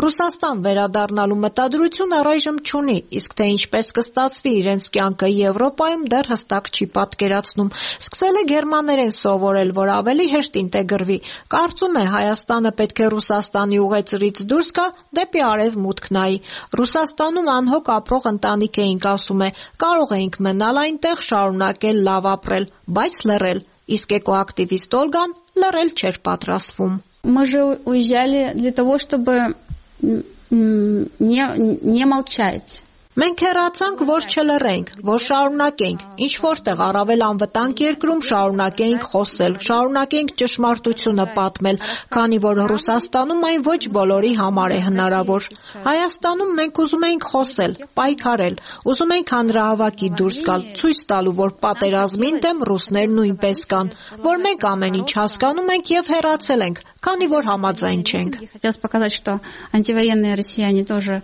Speaker 15: Ռուսաստան վերադառնալու մտադրություն առայժմ չունի, իսկ թե ինչպես կստացվի իրենց կյանքը Եվրոպայում դեռ հստակ չի պատկերացնում։ Սկսել է գերմաներեն սովորել, որ ավելի հեշտ ինտեգրվի։ Կարծում է Հայաստանը պետք է Ռուսաստանի ուղեծրից դուրս գա, դեպի արևմուտք նայի։ Ռուսաստանում անհոգ ապրող ընտանիք էինք, ասում է, կարող էինք մնալ այնտեղ, շարունակել լավ ապրել, բայց լռել, իսկ էկոակտիվիստ Օլգան լռել չէր պատրաստվում։
Speaker 16: Мы же уезжали для того, чтобы не, не молчать.
Speaker 15: Մենք հեռացանք, որ չլռենք, որ շարունակենք, ինչ որտեղ առավել անվտանգ երկրում շարունակենք խոսել, շարունակենք ճշմարտությունը պատմել, քանի որ Ռուսաստանում այն ոչ բոլորի համար է հնարավոր։ Հայաստանում մենք ուզում ենք խոսել, պայքարել, ուզում ենք հանրահավաքի դուրս գալ, ցույց տալու, որ պատերազմին դեմ ռուսներ նույնպես կան, որ մենք ամեն ինչ հասկանում ենք եւ հեռացել ենք, քանի որ համաձայն չենք։
Speaker 16: Хотелось показать, что антивоенные россияне тоже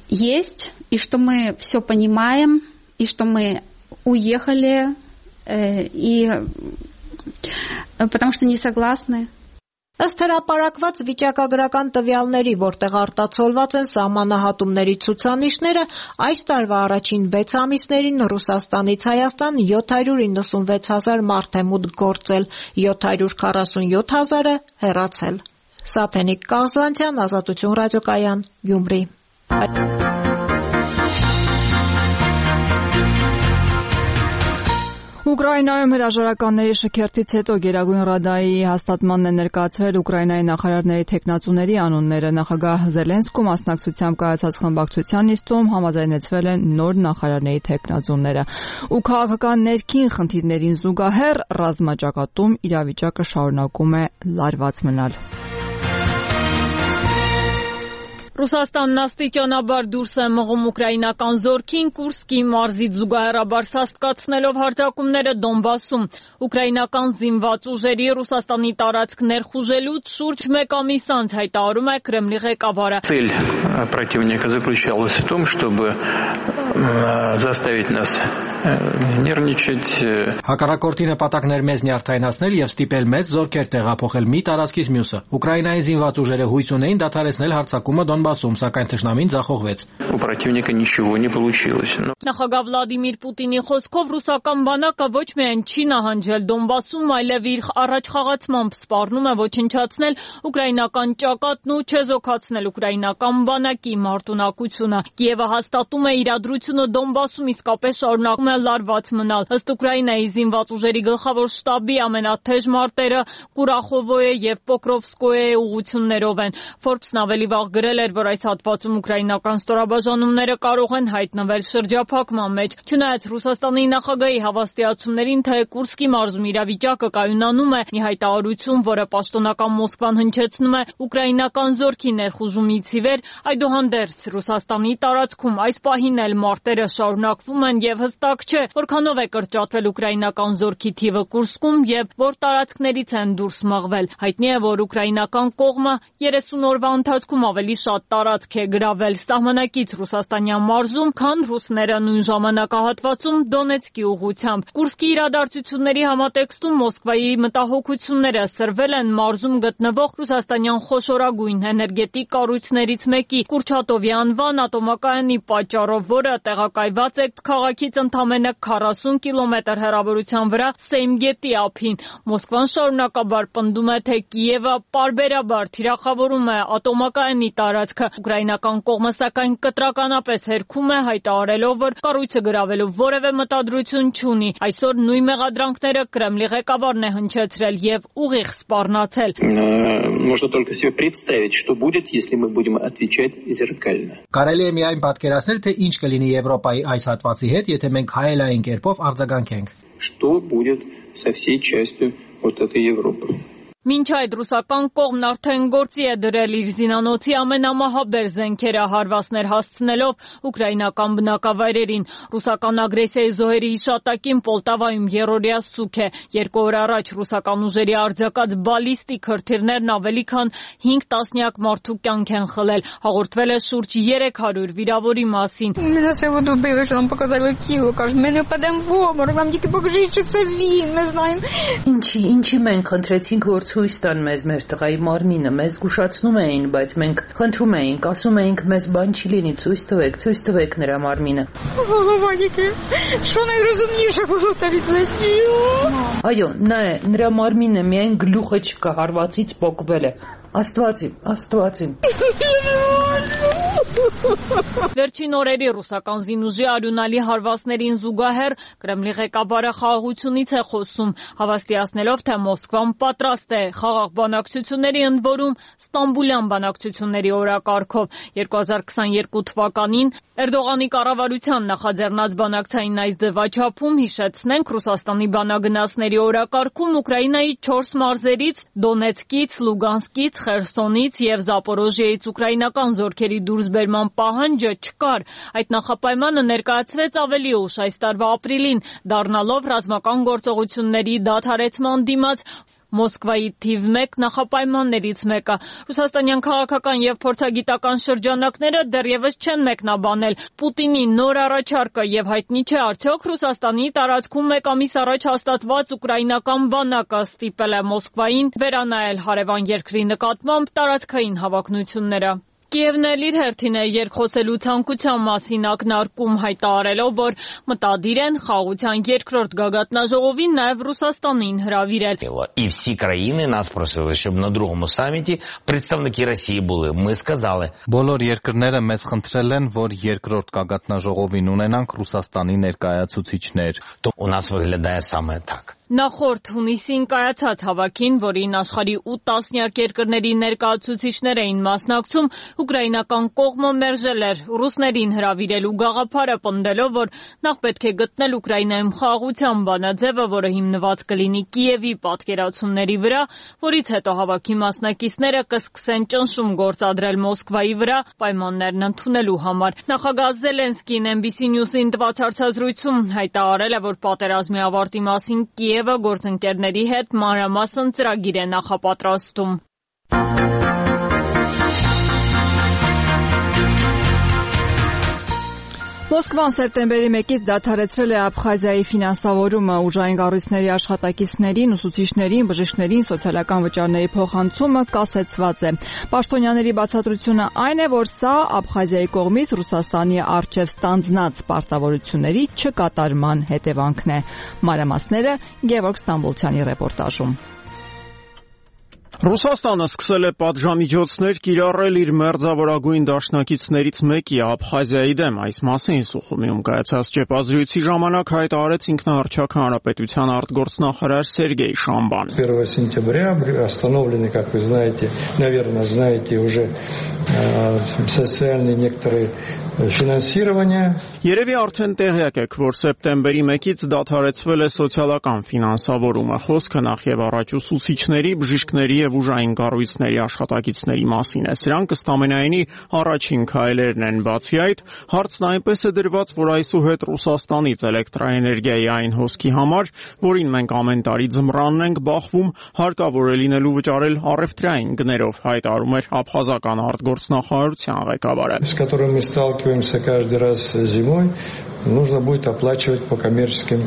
Speaker 16: есть, и что мы все понимаем, и что мы уехали, и потому что не согласны.
Speaker 15: Ըստ հրապարակված վիճակագրական տվյալների, որտեղ արտացոլված են սահմանահատումների ցուցանիշները, այս տարվա առաջին վեց ամիսներին Ռուսաստանից Հայաստան յոթ հարյուր իննսունվեց հազար մարդ է մուտք գործել, յոթ հարյուր քառասունյոթ հազարը հեռացել։ Սաթենիկ Կազանցյան, Ազատություն ռադիոկայան, Գյումրի։
Speaker 1: Ուկրաինայում հրաժարականների շքերթից հետո Գերագույն ռադայի հաստատմանն է ներկայացվել Ուկրաինայի նախարարների թեկնածուների անունները։ Նախագահ Զելենսկու մասնակցությամբ կայացած խմբակցության նիստում համաձայնեցվել են նոր նախարարների թեկնածուները։ Ու քաղաքական ներքին խնդիրներին զուգահեռ ռազմաճակատում իրավիճակը շարունակում է լարված մնալ։
Speaker 17: Ռուսաստանն աստիճանաբար դուրս է մղում ուկրաինական զորքին Կուրսկի մարզից զուգահեռաբար սաստկացնելով հարձակումները Դոնբասում։ Ուկրաինական զինված ուժերի Ռուսաստանի տարածք ներխուժելուց շուրջ մեկ ամիս անց հայտարարում է Կրեմլի ղեկավարը։
Speaker 18: Цель противника заключалась в том, чтобы заставить нас нервничать.
Speaker 19: Հակառակորդի նպատակն էր մեզ նյարդայնացնել եւ ստիպել մեծ զորքեր տեղափոխել մի տարածքից մյուսը։ Ուկրաինայի զինված ուժերը հույս ունեին դադարեցնել հարձակումը Դոնբասում, սակայն թշնամին ձախողվեց։
Speaker 18: У противника ничего не получилось.
Speaker 17: Նախագահ Վլադիմիր Պուտինի խոսքով ռուսական բանակը ոչ միայն չի նահանջել Դոնբասում, այլև իր առաջխաղացմամբ սպառնում է ոչնչացնել ուկրաինական ճակատն ու չեզոքացնել ուկրաինական բանակի մարտունակությունը։ Կիևը հաստատում է իրադրությունը Դոնբասում իսկապես շարունակում է լարված մնալ։ Ըստ Ուկրաինայի զինված ուժերի գլխավոր շտաբի ամենաթեժ մարտերը Կուրախովոյե եւ Պոկրովսկոյե ուղություններով են։ Forbes-ն ավելի վաղ գրել էր, որ այս հատվածում ուկրաինական ստորաբաժանումները կարող են հայտնվել շրջափակման մեջ։ Չնայած Ռուսաստանի նախագահի հավաստիացումներին, թե Կուրսկի մարզում իրավիճակը կայունանում է, մի հայտարարություն, որը պաշտոնական Մոսկվան հնչեցնում է ուկրաինական զորքի ներխուժումից ի վեր, այդուհանդերձ Ռուսաստանի տարածքում այս պահին էլ մարտերը շարունակվում են եւ հստակ չէ, որքանով է կրճատվել ուկրաինական զորքի թիվը Կուրսկում եւ որ տարածքներից են դուրս մղվել։ Հայտնի է, որ ուկրաինական կողմը երեսուն օրվա ընթացքում ավելի շատ տարածք է գրավել սահմանակից Ռուսաստանյան մարզում, քան ռուսները նույն ժամանակահատվածում Դոնեցկի ուղղությամբ։ Կուրսկի իրադարձությունների համատեքստում Մոսկվայի մտահոգությունները սրվել են մարզում գտնվող ռուսաստանյան խոշորագույն էներգետիկ կառույցներից մեկի Կուրչատովի անվան ատոմակայանի պատճառով, որը տեղակայված է քաղաքից ընդամենը քառասուն կիլոմետր հեռավորության վրա Սեյմ գետի ափին։ Մոսկվան շարունակաբար պնդում է, թե Կիևը պարբերաբար թիրախավորում է ատոմակայանի տարածքը։ Ուկրաինական կողմը սակայն կտրականապես հերքում է, հայտարարելով, որ կառույցը գրավելու որևէ մտադրություն չունի։ Այսօր նույն մեղադրանքները Կրեմլի ղեկավարն է հնչեցրել եւ ուղիղ սպառնացել։
Speaker 18: Можно только себе представить, что будет, если мы будем отвечать зеркально.
Speaker 19: Կարելի է միայն պատկերացնել, թե ինչ կլինի Եվրոպայի այս հատվածի հետ, եթե մենք հայելային կերպով արձագանքենք։
Speaker 18: Что будет со всей частью вот этой Европы.
Speaker 17: Մինչ այդ ռուսական կողմն արդեն գործի է դրել իր զինանոցի ամենամահաբեր զենքերը հարվածներ հասցնելով ուկրաինական բնակավայրերին։ Ռուսական ագրեսիայի զոհերի հիշատակին Պոլտավայում երրորդյա սուք է։ Երկու օր առաջ ռուսական ուժերի արձակած բալիստիկ հրթիռներն ավելի քան հինգ տասնյակ մարդու կյանք են խլել։ Հաղորդվել է շուրջ երեք հարյուր վիրավորի մասին։
Speaker 20: Меня сегодня убили, что нам показали Киев, кажется, мы не упадем в обморок, нам только покажите, что это вин, мы знаем.
Speaker 21: Ինչի, ինչի մենք խնդրեցինք, որ ցույց տան մեզ մեր տղայի մարմինը, մեզ զգուշացնում էին, բայց մենք խնդրում էինք, ասում էինք, մեզ բան չի լինի, ցույց տվեք, ցույց տվեք նրա մարմինը։
Speaker 20: Что найразумнейше было ставить на Киев։
Speaker 21: Այո, նա է, նրա մարմինը միայն գլուխը չկա, հարվածից պոկվել է։ Աստվածին, Աստվածին։
Speaker 17: Վերջին օրերի ռուսական զինուժի արյունալի հարվածներին զուգահեռ Կրեմլի ղեկավարը խաղաղությունից է խոսում, հավաստիացնելով, թե Մոսկվան պատրաստ է խաղաղ բանակցությունների, ընդ որում Ստամբուլյան բանակցությունների օրակարգով։ երկու հազար քսաներկու թվականին Էրդողանի կառավարության նախաձեռնած բանակցային այս ձևաչափում, հիշեցնենք, Ռուսաստանի բանագնացների օրակարգում Ուկրաինայի չորս մարզերից՝ Դոնեցկից, Լուգանսկից, Խերսոնից եւ Զապորոժիայից ուկրաինական զորքերի դուրսբերման պահանջը չկար։ Այդ նախապայմանը ներկայացվեց ավելի ուշ այս տարվա ապրիլին, դառնալով ռազմական գործողությունների դադարեցման դիմաց Մոսկվայի թիվ մեկ նախապայմաններից մեկը։ Ռուսաստանյան քաղաքական եւ փորձագիտական շրջանակները դեռևս չեն մեկնաբանել Պուտինի նոր առաջարկը եւ հայտնի չէ արդյոք Ռուսաստանի տարածքում մեկ ամիս առաջ հաստատված ուկրաինական բանակը ստիպել է Մոսկվային վերանայել հարևան երկրի նկատմամբ տարածքային հավակնությունները։ Կիևն էլ իր հերթին է երկխոսելու ցանկության մասին ակնարկում, հայտարարելով, որ մտադիր են խաղաղության երկրորդ գագաթնաժողովին նաև Ռուսաստանին հրավիրել։
Speaker 22: І всі країни нас просили, щоб на другому саміті представники Росії були. Ми сказали.
Speaker 23: Բոլոր երկրները մեզ խնդրել են, որ երկրորդ գագաթնաժողովին ունենանք Ռուսաստանի ներկայացուցիչներ։
Speaker 22: У нас виглядає саме так.
Speaker 17: Նախորդ հունիսին կայացած հավաքին, որին աշխարհի ութ տասնյակ երկրների ներկայացուցիչներ էին մասնակցում, ուկրաինական կողմը մերժել էր ռուսներին հրավիրելու գաղափարը, պնդելով, որ նախ պետք է գտնել Ուկրաինայում խաղաղության բանաձևը, որը հիմնված կլինի Կիևի պատկերացումների վրա, որից հետո հավաքի մասնակիցները կսկսեն ճնշում գործադրել Մոսկվայի վրա պայմաններն ընդունելու համար։ Նախագահ Զելենսկին Էն Բի Սի News-ին տված հարցազրույցում հայտարարել է, որ պատերազմի ավարտի մասին Կիևը գործընկերների հետ մանրամասն ծրագիր է նախապատրաստում։
Speaker 1: Մոսկվան սեպտեմբերի մեկից դադարեցրել է Աբխազիայի ֆինանսավորումը, ուժային կառույցների աշխատակիցներին, ուսուցիչներին, բժիշկներին, սոցիալական վճարների փոխանցումը կասեցված է։ Պաշտոնյաների բացատրությունը այն է, որ սա Աբխազիայի կողմից Ռուսաստանի առջև ստանձնած պարտավորությունների չկատարման հետևանքն է։ Մանրամասները Գևորգ Ստամբոլցյանի ռեպորտաժում։
Speaker 24: Ռուսաստանը սկսել է պատժամիջոցներ կիրառել իր մերձավորագույն դաշնակիցներից մեկի Աբխազիայի դեմ։ Այս մասին Սուխումիում կայացած ճեպազրույցի ժամանակ հայտարարեց ինքնահռչակ հանրապետության արտգործնախարար Սերգեյ Շամբան։
Speaker 25: первого сентября остановлены, как вы знаете, наверное, знаете уже социальные некоторые ֆինանսирование։
Speaker 24: Երևի արդեն տեղյակ եք, որ սեպտեմբերի մեկից դադարեցվել է սոցիալական ֆինանսավորումը։ Խոսքը նախ եւ առաջ ուսուցիչների, բժիշկների եւ ուժային կառույցների աշխատակիցների մասին է։ Սրանք ըստամենայնի առաջին քայլերն են։ Բացի այդ, հարցն այնպես է դրված, որ այսուհետ Ռուսաստանից էլեկտրաէներգիայի այն հոսքի համար, որին մենք ամեն տարի ձմռանն ենք բախվում, հարկավոր է լինելու վճարել առևտրային գներով, հայտարարում էր աբխազական արտգործնախարարության ղեկավարը։
Speaker 25: С которым мы сталкиваемся каждый раз зимой, нужно будет оплачивать по коммерческим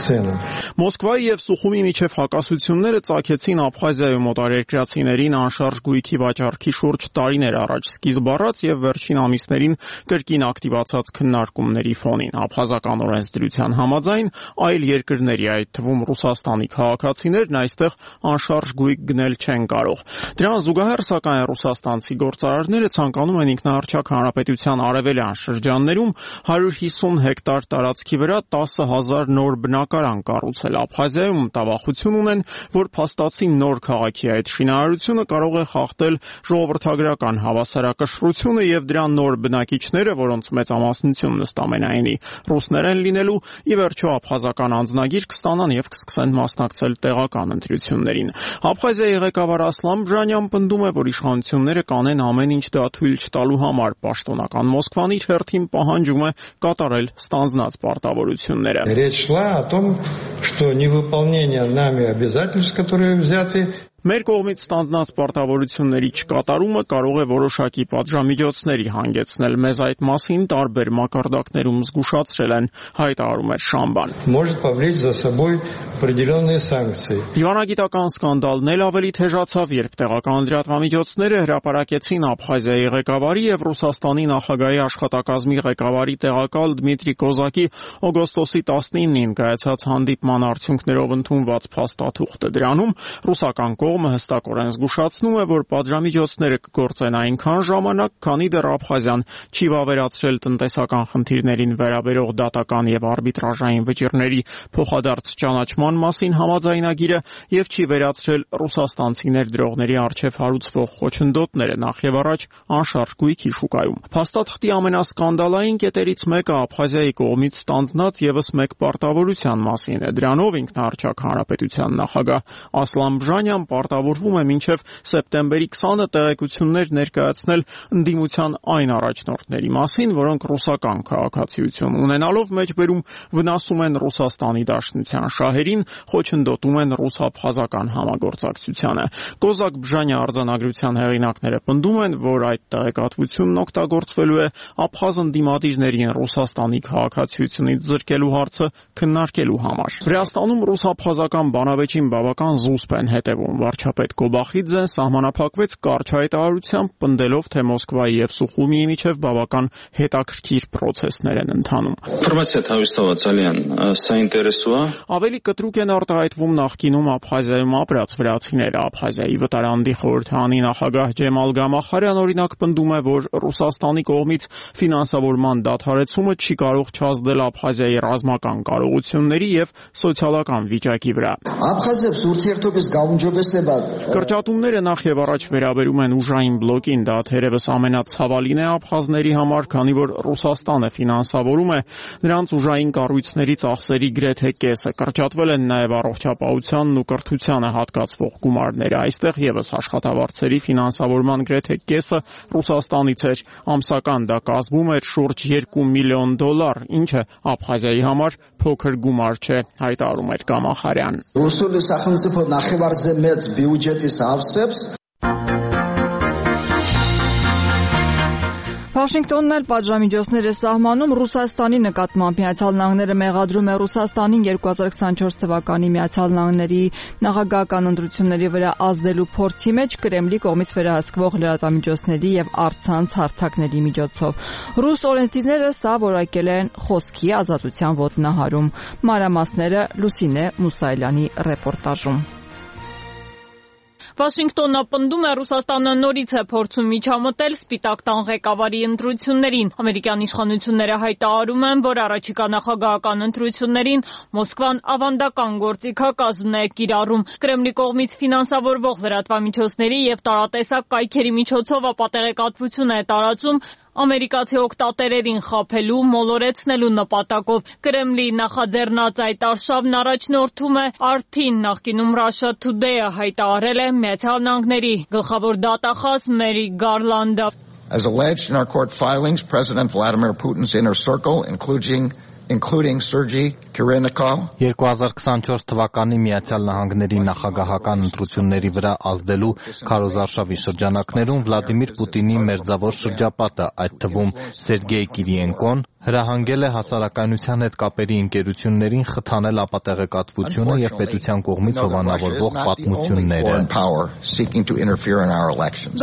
Speaker 25: ценам.
Speaker 24: Մոսկվայի եւ Սուխումի միջև հակասությունները ծագեցին Աբխազիայում օտարերկրացիներին անշարժ գույքի վաճառքի շուրջ տարիներ առաջ սկիզբ առած եւ վերջին ամիսներին կրկին ակտիվացած քննարկումների ֆոնին։ Աբխազական օրենսդրության համաձայն այլ երկրների, այդ թվում Ռուսաստանի քաղաքացիներն այստեղ անշարժ գույք գնել չեն կարող։ Դրան զուգահեռ, սակայն, ռուսաստանցի գործարարները ցանկանում են ինքնահռչակ հանրապետության արևելյան շրջաններում հարյուր հիսուն հեկտար տարածքի վրա տասը հազար նոր բնակարան կառուցել։ Աբխազիայում մտավախություն ունեն, որ փաստացի նոր քաղաքի այդ շինարարությունը կարող է խախտել ժողովրդագրական հավասարակշռությունը եւ դրա նոր բնակիչները, որոնց մեծամասնությունն ըստ ամենայնի ռուսներ են լինելու, ի վերջո աբխազական անձնագիր կստանան եւ կսկսեն մասնակցել տեղական ընտրություններին։ Աբխազիայի ղեկավար Ասլան Բժանյան պնդում է, որ իշխանությունները կանեն ամեն ինչ դա թույլ չտալու համար։ Պաշտոնական Մոսկվան իր հերթին պահանջում է կատարել ստանձնած պարտավորությունները։
Speaker 25: Речь шла о том, что невыполнение нами обязательств, которые взяты,
Speaker 24: Մեր կողմից ստանձնած պարտավորությունների չկատարումը կարող է որոշակի պատժամիջոցների հանգեցնել։ Մեզ այդ մասին տարբեր մակարդակներում զգուշացրել են, հայտարարում էր Շամբան։
Speaker 25: Может повлечь за собой определенные санкции.
Speaker 24: Դիվանագիտական սկանդալն էլ ավելի թեժացավ, երբ տեղական լրատվամիջոցները հրապարակեցին Աբխազիայի ղեկավարի եւ Ռուսաստանի նախագահի աշխատակազմի ղեկավարի տեղակալ Դմիտրի Կոզակի օգոստոսի տասնինին կայացած հանդիպման արդյունքներով ընդունված փաստաթուղթը։ Դրանում ռուսական կողմը հստակորեն զգուշացնում է, որ պատժամիջոցները կգործեն այնքան ժամանակ, քանի դեռ Աբխազիան չի վավերացրել տնտեսական խնդիրներին վերաբերող դատական եւ արբիտրաժային վճիռների փոխադարձ ճանաչման մասին համաձայնագիրը եւ չի վերացրել ռուսաստանցի ներդրողների արչեւ հարուցվող խոչընդոտները նախ եւ առաջ անշարժ գույքի շուկայում։ Փաստաթղթի ամենասկանդալային կետերից մեկը Աբխազիայի կողմից ստանձնած եւս մեկ պարտավորության մասին է։ Դրանով ինքնահռչակ հանրապետության նախագահ Ասլան Բժանյան պարտավորվում է մինչև սեպտեմբերի քսանը տեղեկություններ ներկայացնել ընդդիմության այն առաջնորդների մասին, որոնք ռուսական քաղաքացիություն ունենալով մեջբերում վնասում են Ռուսաստանի Դաշնության շահերին, խոչընդոտում են ռուս-աբխազական համագործակցությանը։ Կոզակ Բժանի արձանագրության հեղինակները պնդում են, որ այդ տեղեկատվությունն օգտագործվելու է աբխազ ընդդիմադիրներին Ռուսաստանի քաղաքացիությունից զրկելու հարցը քննարկելու համար։ Վրաստանում ռուս-աբխազական բանավեճին բավական զուսպ են հետևում։ Վարչապետ Կոբախիձեն սահմանափակվեց կարճ հայտարարությամբ, պնդելով, թե Մոսկվայի եւ Սուխումիի միջև բավական հետաքրքիր պրոցեսներ են ընթանում։ Ավելի կտրուկ են արտահայտվում նախկինում Աբխազիայում ապրած վրացիները։ Աբխազիայի վտարանդի խորհրդանի նախագահ Ջեմալ Գամախարյան օրինակ պնդում է, որ Ռուսաստանի կողմից ֆինանսավորման դադարեցումը չի կարող չազդել Աբխազիայի ռազմական կարողությունների եւ սոցիալական վիճակի վրա։ Կրճատումները նախ եւ առաջ վերաբերում են ուժային բլոկին, դա թերևս ամենացավալին է աբխազների համար, քանի որ Ռուսաստանը ֆինանսավորում է նրանց ուժային կառույցների ծախսերի գրեթե կեսը։ Կրճատվել են նաեւ առողջապահությանն ու կրթությանը հատկացվող գումարները։ Այստեղ եւս աշխատավարձերի ֆինանսավորման գրեթե կեսը Ռուսաստանից էր։ Ամսական դա կազմում էր շուրջ երկու միլիոն դոլար, ինչը Աբխազիայի համար փոքր գումար չէ, հայտարարում էր Գամախարյան։
Speaker 1: Վաշինգտոնն էլ պատժամիջոցներ է սահմանում Ռուսաստանի նկատմամբ։ Միացյալ Նահանգները մեղադրում է Ռուսաստանին երկու հազար քսանչորս թվականի Միացյալ Նահանգների նախագահական ընտրությունների վրա ազդելու փորձի մեջ Կրեմլի կողմից վերահսկվող լրատվամիջոցների եւ առցանց հարթակների միջոցով։ Ռուս օրենսդիրները սա որակել են խոսքի ազատության ոտնահարում։ Մանրամասները Լուսինե Մուսայելյանի ռեպորտաժում։
Speaker 17: Վաշինգտոնը պնդում է Ռուսաստանը նորից է փորձում միջամտել Սպիտակ տան ղեկավարի ընտրություններին։ Ամերիկյան իշխանությունները հայտարարում են, որ առաջիկա նախագահական ընտրություններին Մոսկվան ավանդական գործիքակազմ է կիրառում։ Կրեմլի կողմից ֆինանսավորվող լրատվամիջոցների եւ տարատեսակ կայքերի միջոցով ապատեղեկատվություն է տարածում ամերիկացի օգտատերերին խաբելու, մոլորեցնելու նպատակով։ Կրեմլի նախաձեռնած այդ արշավն առաջնորդում է Արթին, նախկինում Russia Today-ը հայտարարել է Միացյալ Նահանգների գլխավոր դատախազ Մերի Գարլանդը։
Speaker 2: As alleged in our court filings, President Vladimir Putin's inner circle, including including Sergei Kirennikov
Speaker 23: երկու հազար քսանչորս թվականի Միացյալ Նահանգների նախագահական ընտրությունների վրա ազդելու քարոզարշավի շրջանակներում Վլադիմիր Պուտինի մերձավոր շրջապատը, այդ թվում Սերգեյ Կիրիենկոն, Հրահանգել է հասարակայնության հետ կապերի ընկերություններին խթանել ապատեղեկատվությունը եւ պետության կողմից հովանավորվող պատմությունները։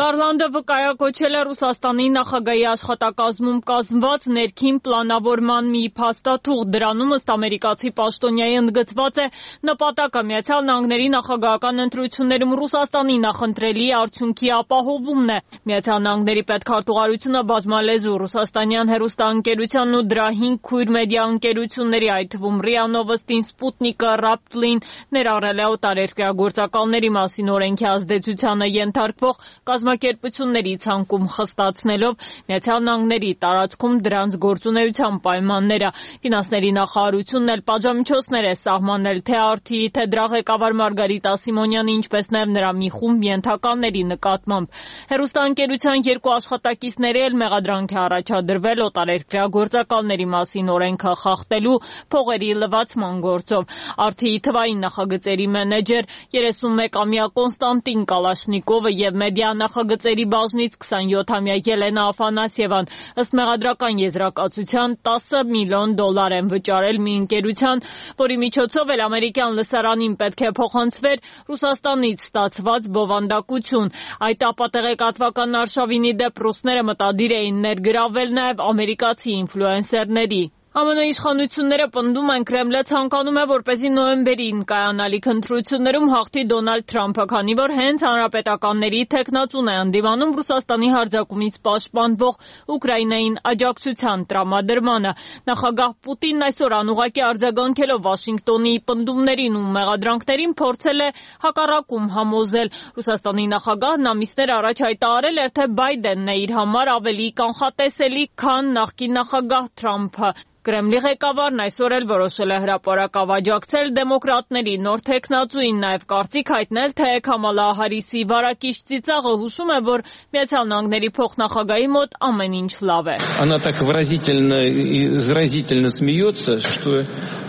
Speaker 17: Գարլանդը վկայակոչել է Ռուսաստանի նախագահի աշխատակազմում կազմված ներքին պլանավորման մի փաստաթուղթ։ Դրանում ըստ ամերիկացի պաշտոնյայի ընդգծված է նպատակը Միացյալ Նահանգների նախագահական ընտրություններում Ռուսաստանի նախընտրելի արդյունքի ապահովումն է։ Միացյալ Նահանգների պետքարտուղարությունը բազմալեզու ռուսաստանյան հեռուստաընկերության ու դրա հինգ քույր մեդիա ընկերությունների, այդ թվում ՌԻԱ Նովոստին, Սպուտնիկը, Ռապտլին ներառել է օտարերկրյա գործակալների մասին օրենքի ազդեցությանը ենթարկվող կազմակերպությունների ցանկում խստացնելով Միացյալ Նահանգների տարածքում դրանց գործունեության պայմանները։ Ֆինանսների նախարարությունն էլ պատժամիջոցներ է սահմանել թե ԱՐԹ-ի, թե դրա ղեկավար Մարգարիտա Սիմոնյանի, ինչպես նաև նրա մի խումբ ենթականների նկատմամբ։ Հեռուստաընկերության երկու աշխատակիցների էլ մեղադրանք է առաջադրվել օտարերկրյա գործակալների մասին օրենքը խախտելու փողերի լվացման գործով։ ԱՐԹ-ի թվային նախագծերի մենեջեր երեսունմեկամյա Կոնստանտին Կալաշնիկովը եւ մեդիա նախագծերի բաժնից քսանյոթամյա Ելենա Աֆանասьևան ըստ մեղադրական եզրակացության տասը միլիոն դոլար են վճարել մի ընկերության, որի միջոցով էլ ամերիկյան լսարանին պետք է փոխանցվեր Ռուսաստանից ստացված բովանդակություն։ Այդ ապատեղեկատվական արշավինի դեպ ռուսները մտադիր էին ներգրավել նաև ամերիկացի ինֆլուենսերների։ ԱՄՆ իշխանությունները պնդում են Կրեմլը ցանկանում է, որպեսզի նոյեմբերին կայանալիք ընտրություններում հաղթի Դոնալդ Թրամփը, քանի որ հենց հանրապետականների թեկնածուն է ընդդիմանում Ռուսաստանի հարձակումից պաշտպանվող Ուկրաինային աջակցության տրամադրմանը։ Նախագահ Պուտինն այսօր անուղղակի արձագանքելով Վաշինգտոնի պնդումներին ու մեղադրանքներին փորձել է հակառակում համոզել։ Ռուսաստանի նախագահն ամիսներ առաջ հայտարարել էր, թե Բայդենն է իր համար ավելի կանխատեսելի, քան նախկին նախագահ Թրամփը։ Կրեմլի ղեկավարն այսօր էլ որոշել է հրապարակավ աջակցել դեմոկրատների նոր թեկնածուին, նաև կարծիք հայտնել, թե Քամալա Հարիսի վարակիչ ծիծաղը հուշում է, որ Միացյալ Նահանգների փոխնախագահի մոտ ամեն ինչ լավ է։
Speaker 18: Она так выразительно и заразительно смеется, что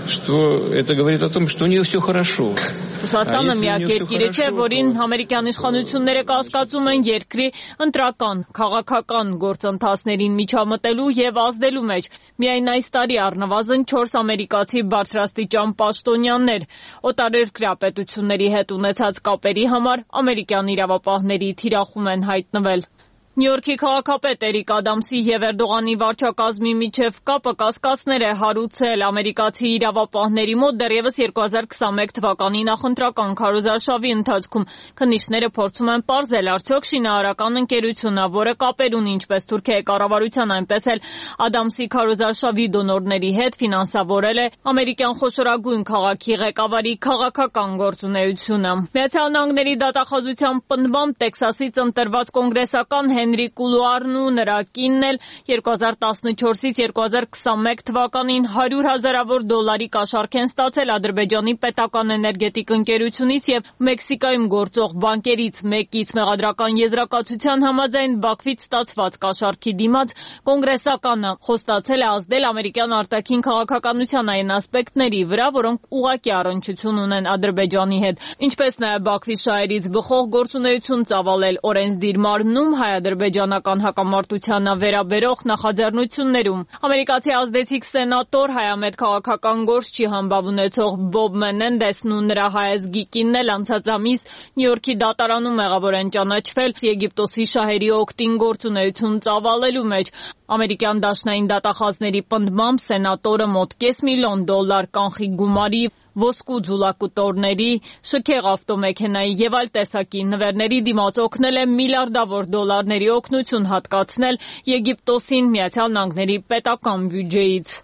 Speaker 18: что это говорит о том, что у нее все хорошо.
Speaker 17: Ռուսաստանը միակ երկիրը չէ, որին ամերիկյան իշխանությունները կասկածում են երկրի ընտրական, քաղաքական գործընթացներին միջամտելու եւ ազդելու մեջ։ Միայն այս տարի առնվազն չորս ամերիկացի բարձրաստիճան պաշտոնյաներ օտարերկրյա պետությունների հետ ունեցած կապերի համար ամերիկյան իրավապահների թիրախում են հայտնվել։ Նյու Յորքի քաղաքապետ Էրիկ Ադամսի եւ Էրդողանի վարչակազմի միջև կապը կասկածներ է հարուցել ամերիկացի իրավապահների մոտ դեռևս երկու հազար քսանմեկ թվականի նախընտրական քարոզարշավի ընթացքում։ Քննիչները փորձում են պարզել, արդյոք շինարարական ընկերությունը, որը կապեր ունի ինչպես Թուրքիայի կառավարության, այնպես էլ Ադամսի քարոզարշավի դոնորների հետ, ֆինանսավորել է ամերիկյան խոշորագույն քաղաքի ղեկավարի քաղաքական գործունեությունը։ Միացյալ Նահանգների դատախազության պնդմամբ Տեքսասից ընտրված կոնգրեսական Հենրի Կուլուարն ու նրա կինն էլ երկու հազար տասնչորսից երկու հազար քսանմեկ թվականին հարյուր հազարավոր դոլարի կաշառք են ստացել Ադրբեջանի պետական էներգետիկ ընկերությունից եւ Մեքսիկայում գործող բանկերից մեկից։ Մեղադրական եզրակացության համաձայն Բաքվից ստացված կաշառքի դիմաց կոնգրեսականը խոստացել է ազդել ամերիկյան արտաքին քաղաքականության այն ասպեկտների վրա, որոնք ուղղակի առնչություն ունեն Ադրբեջանի հետ, ինչպես նաեւ Բաքվի շահերից բխող գործունեություն ծավալել օրենսդիր մարմնում հայ-ադրբեջանական հակամարտությանը վերաբերող նախաձեռնություններում։ Ամերիկացի ազդեցիկ սենատոր, հայամետ քաղաքական գործչի համբավ ունեցող Բոբ Մենենդեսն ու նրա հայազգի կինն էլ անցած ամիս Նյու Յորքի դատարանում մեղավոր են ճանաչվել Եգիպտոսի շահերի օգտին գործունեություն ծավալելու մեջ։ Ամերիկյան դաշնային դատախազների պնդմամբ սենատորը մոտ կես միլիոն դոլար կանխիկ գումարի, ոսկու ձուլակուտորների, շքեղ ավտոմեքենայի եւ այլ տեսակի նվերների դիմաց օգնել է միլիարդավոր դոլարների օգնություն հատկացնել Եգիպտոսին Միացյալ Նահանգների պետական բյուջեից։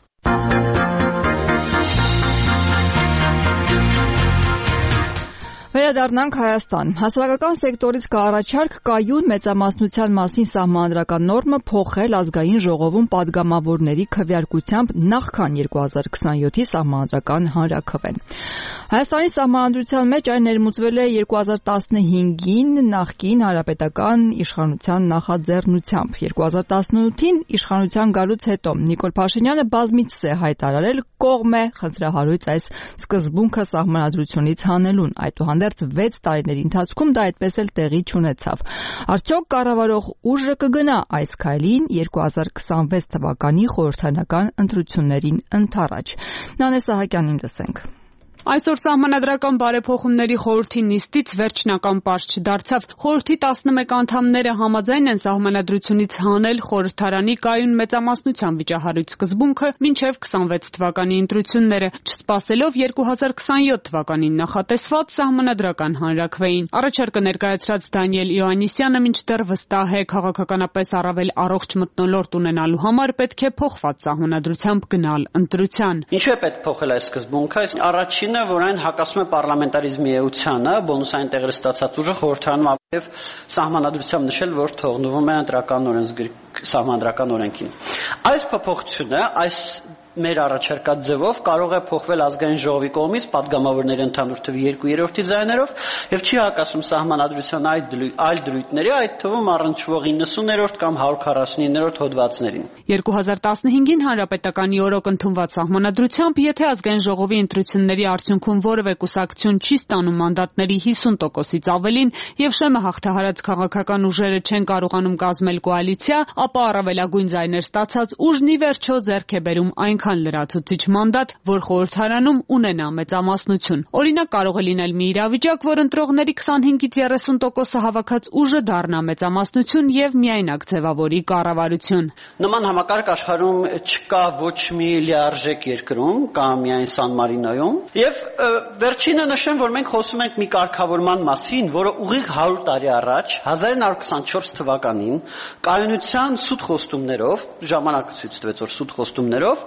Speaker 1: Վերադառնանք Հայաստան։ Հասարակական սեկտորից կա առաջարկ կայուն մեծամասնության մասին սահմանադրական նորմը փոխել ազգային ժողովում պատգամավորների քվեարկությամբ նախքան երկու հազար քսանյոթի սահմանադրական հանրաքվեն։ Հայաստանի սահմանադրության մեջ այն ներմուծվել է երկու հազար տասնհինգին նախկին հանրապետական իշխանության նախաձեռնությամբ։ երկու հազար տասնութին իշխանության գալուց հետո Նիկոլ Փաշինյանը բազմիցս է հայտարարել կողմ է խնդրահարույց այս սկզբունքը սահմանադրությունից հանելուն։ Այդուհանդերձ շրջադարձ վեց տարիների ընթացքում դա այդպես էլ տեղի չունեցավ։ Արդյոք կառավարող ուժը կգնա այս քայլին երկու հազար քսանվեց թվականի խորհրդարանական ընտրություններին ընդառաջ։ Նանե Սահակյանին լսենք։
Speaker 3: Այսօր Սահմանադրական բարեփոխումների խորհրդի նիստից վերջնական պարզ չդարձավ։ Խորհրդի տասնմեկ անդամները համաձայն են Սահմանադրությունից հանել խորհրդարանի կայուն մեծամասնության վիճահարույց սկզբունքը մինչև քսանվեց թվականի ընտրությունները, չսպասելով երկու հազար քսանյոթ թվականին նախատեսված Սահմանադրական հանրաքվեին։ Առաջարկը ներկայացրած Դանիել Իոաննիսյանը մինչդեռ վստահ է, քաղաքականապես առավել առողջ մթնոլորտ ունենալու համար պետք է փոխված Սահմանադրությամբ գնալ ընտրության։
Speaker 4: Ինչու է պետք փոխել այս սկզբունքը? Առաջին որ այն հակասում է պարլամենտարիզմի էությանը, բոնուսային տեղեր ստացած ուժը խորհրդարանում եւ սահմանադրությամբ նշել, որ թողնվում է ընտրական օրենսգրքի սահմանադրական օրենքին։ Այս փոփոխությունը այս մեր առաջարկած ձևով կարող է փոխվել ազգային ժողովի կողմից падգամավորների ընդհանուր թվի երկու երրորդի ձայներով եւ չի հակասում սահմանադրության այլ դրույթների, այդ թվում առնչվող իննսուններորդ կամ հարյուր քառասունիններորդ հոդվածներին։
Speaker 3: երկու հազար տասնհինգին հանրապետականի օրոք ընդունված սահմանադրությամբ, եթե ազգային ժողովի ընտրությունների արդյունքում որևէ կուսակցություն չի ստանում մանդատների հիսուն տոկոսից ավելին եւ շեմը հաղթահարած քաղաքական ուժերը չեն կարողանում կազմել կոալիցիա, ապա առավելագույն ձայներ ստացած ուժն ի վերջո ձեռք է բերում այնքան լրացուցիչ մանդատ, որ խորհրդարանում ունենա մեծամասնություն։ Օրինակ կարող է լինել մի իրավիճակ, որ ընտրողների քսանհինգից երեսուն տոկոսը հավաքած ուժը դառնա մեծամասնություն եւ միայնակ ձևավորի կառավարություն։
Speaker 4: Նման համակարգ աշխարհում չկա ոչ մի լիարժեք երկրում, կամ միայն Սան Մարինոյում, եւ վերջինը նշեմ, որ մենք խոսում ենք մի կարգավորման մասին, որը ուղիղ հարյուր տարի առաջ հազար նույնսուն քսանչորս թվականին կայունության սուտ խոստումներով, ժամանակը ցույց տվեց, որ սուտ խոստումներով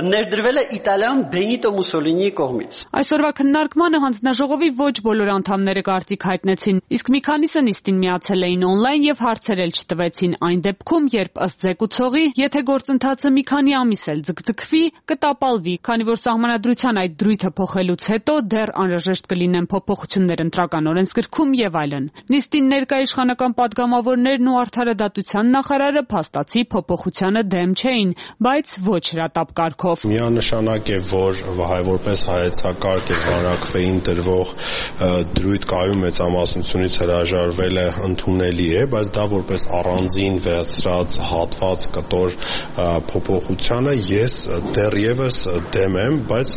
Speaker 4: ներդրվել է Իտալիան Բենիտո Մուսոլինիի կողմից։
Speaker 3: Այսօրվա քննարկմանը հանձնաժողովի ոչ բոլոր անդամները կարծիք հայտնեցին, իսկ մի քանիսը նիստին միացել էին օնլայն եւ հարցեր էլ չտվեցին այն դեպքում, երբ ըստ զեկուցողի, եթե գործընթացը մի քանի ամիս էլ ձգձգվի, կտապալվի, քանի որ սահմանադրության այդ դրույթը փոխելուց հետո դեռ անհրաժեշտ կլինեն փոփոխություններ ընտրական օրենսգրքում եւ այլն։ Նիստին ներկա իշխանական падգամավորներն ու արդարադատության նախարարը փաստացի փոփոխությանը դեմ չէին, բայց ոչ հրատապ կարգով։
Speaker 6: Միանշանակ է, որ որպես հայեցակարգ եւ հանրաքվեին դրվող դրույթ կայուն մեծամասնությունից հրաժարվելը ընդունելի է, բայց դա որպես առանձին վերցրած հատված կտոր փոփոխությանը ես դեռևս դեմ եմ, բայց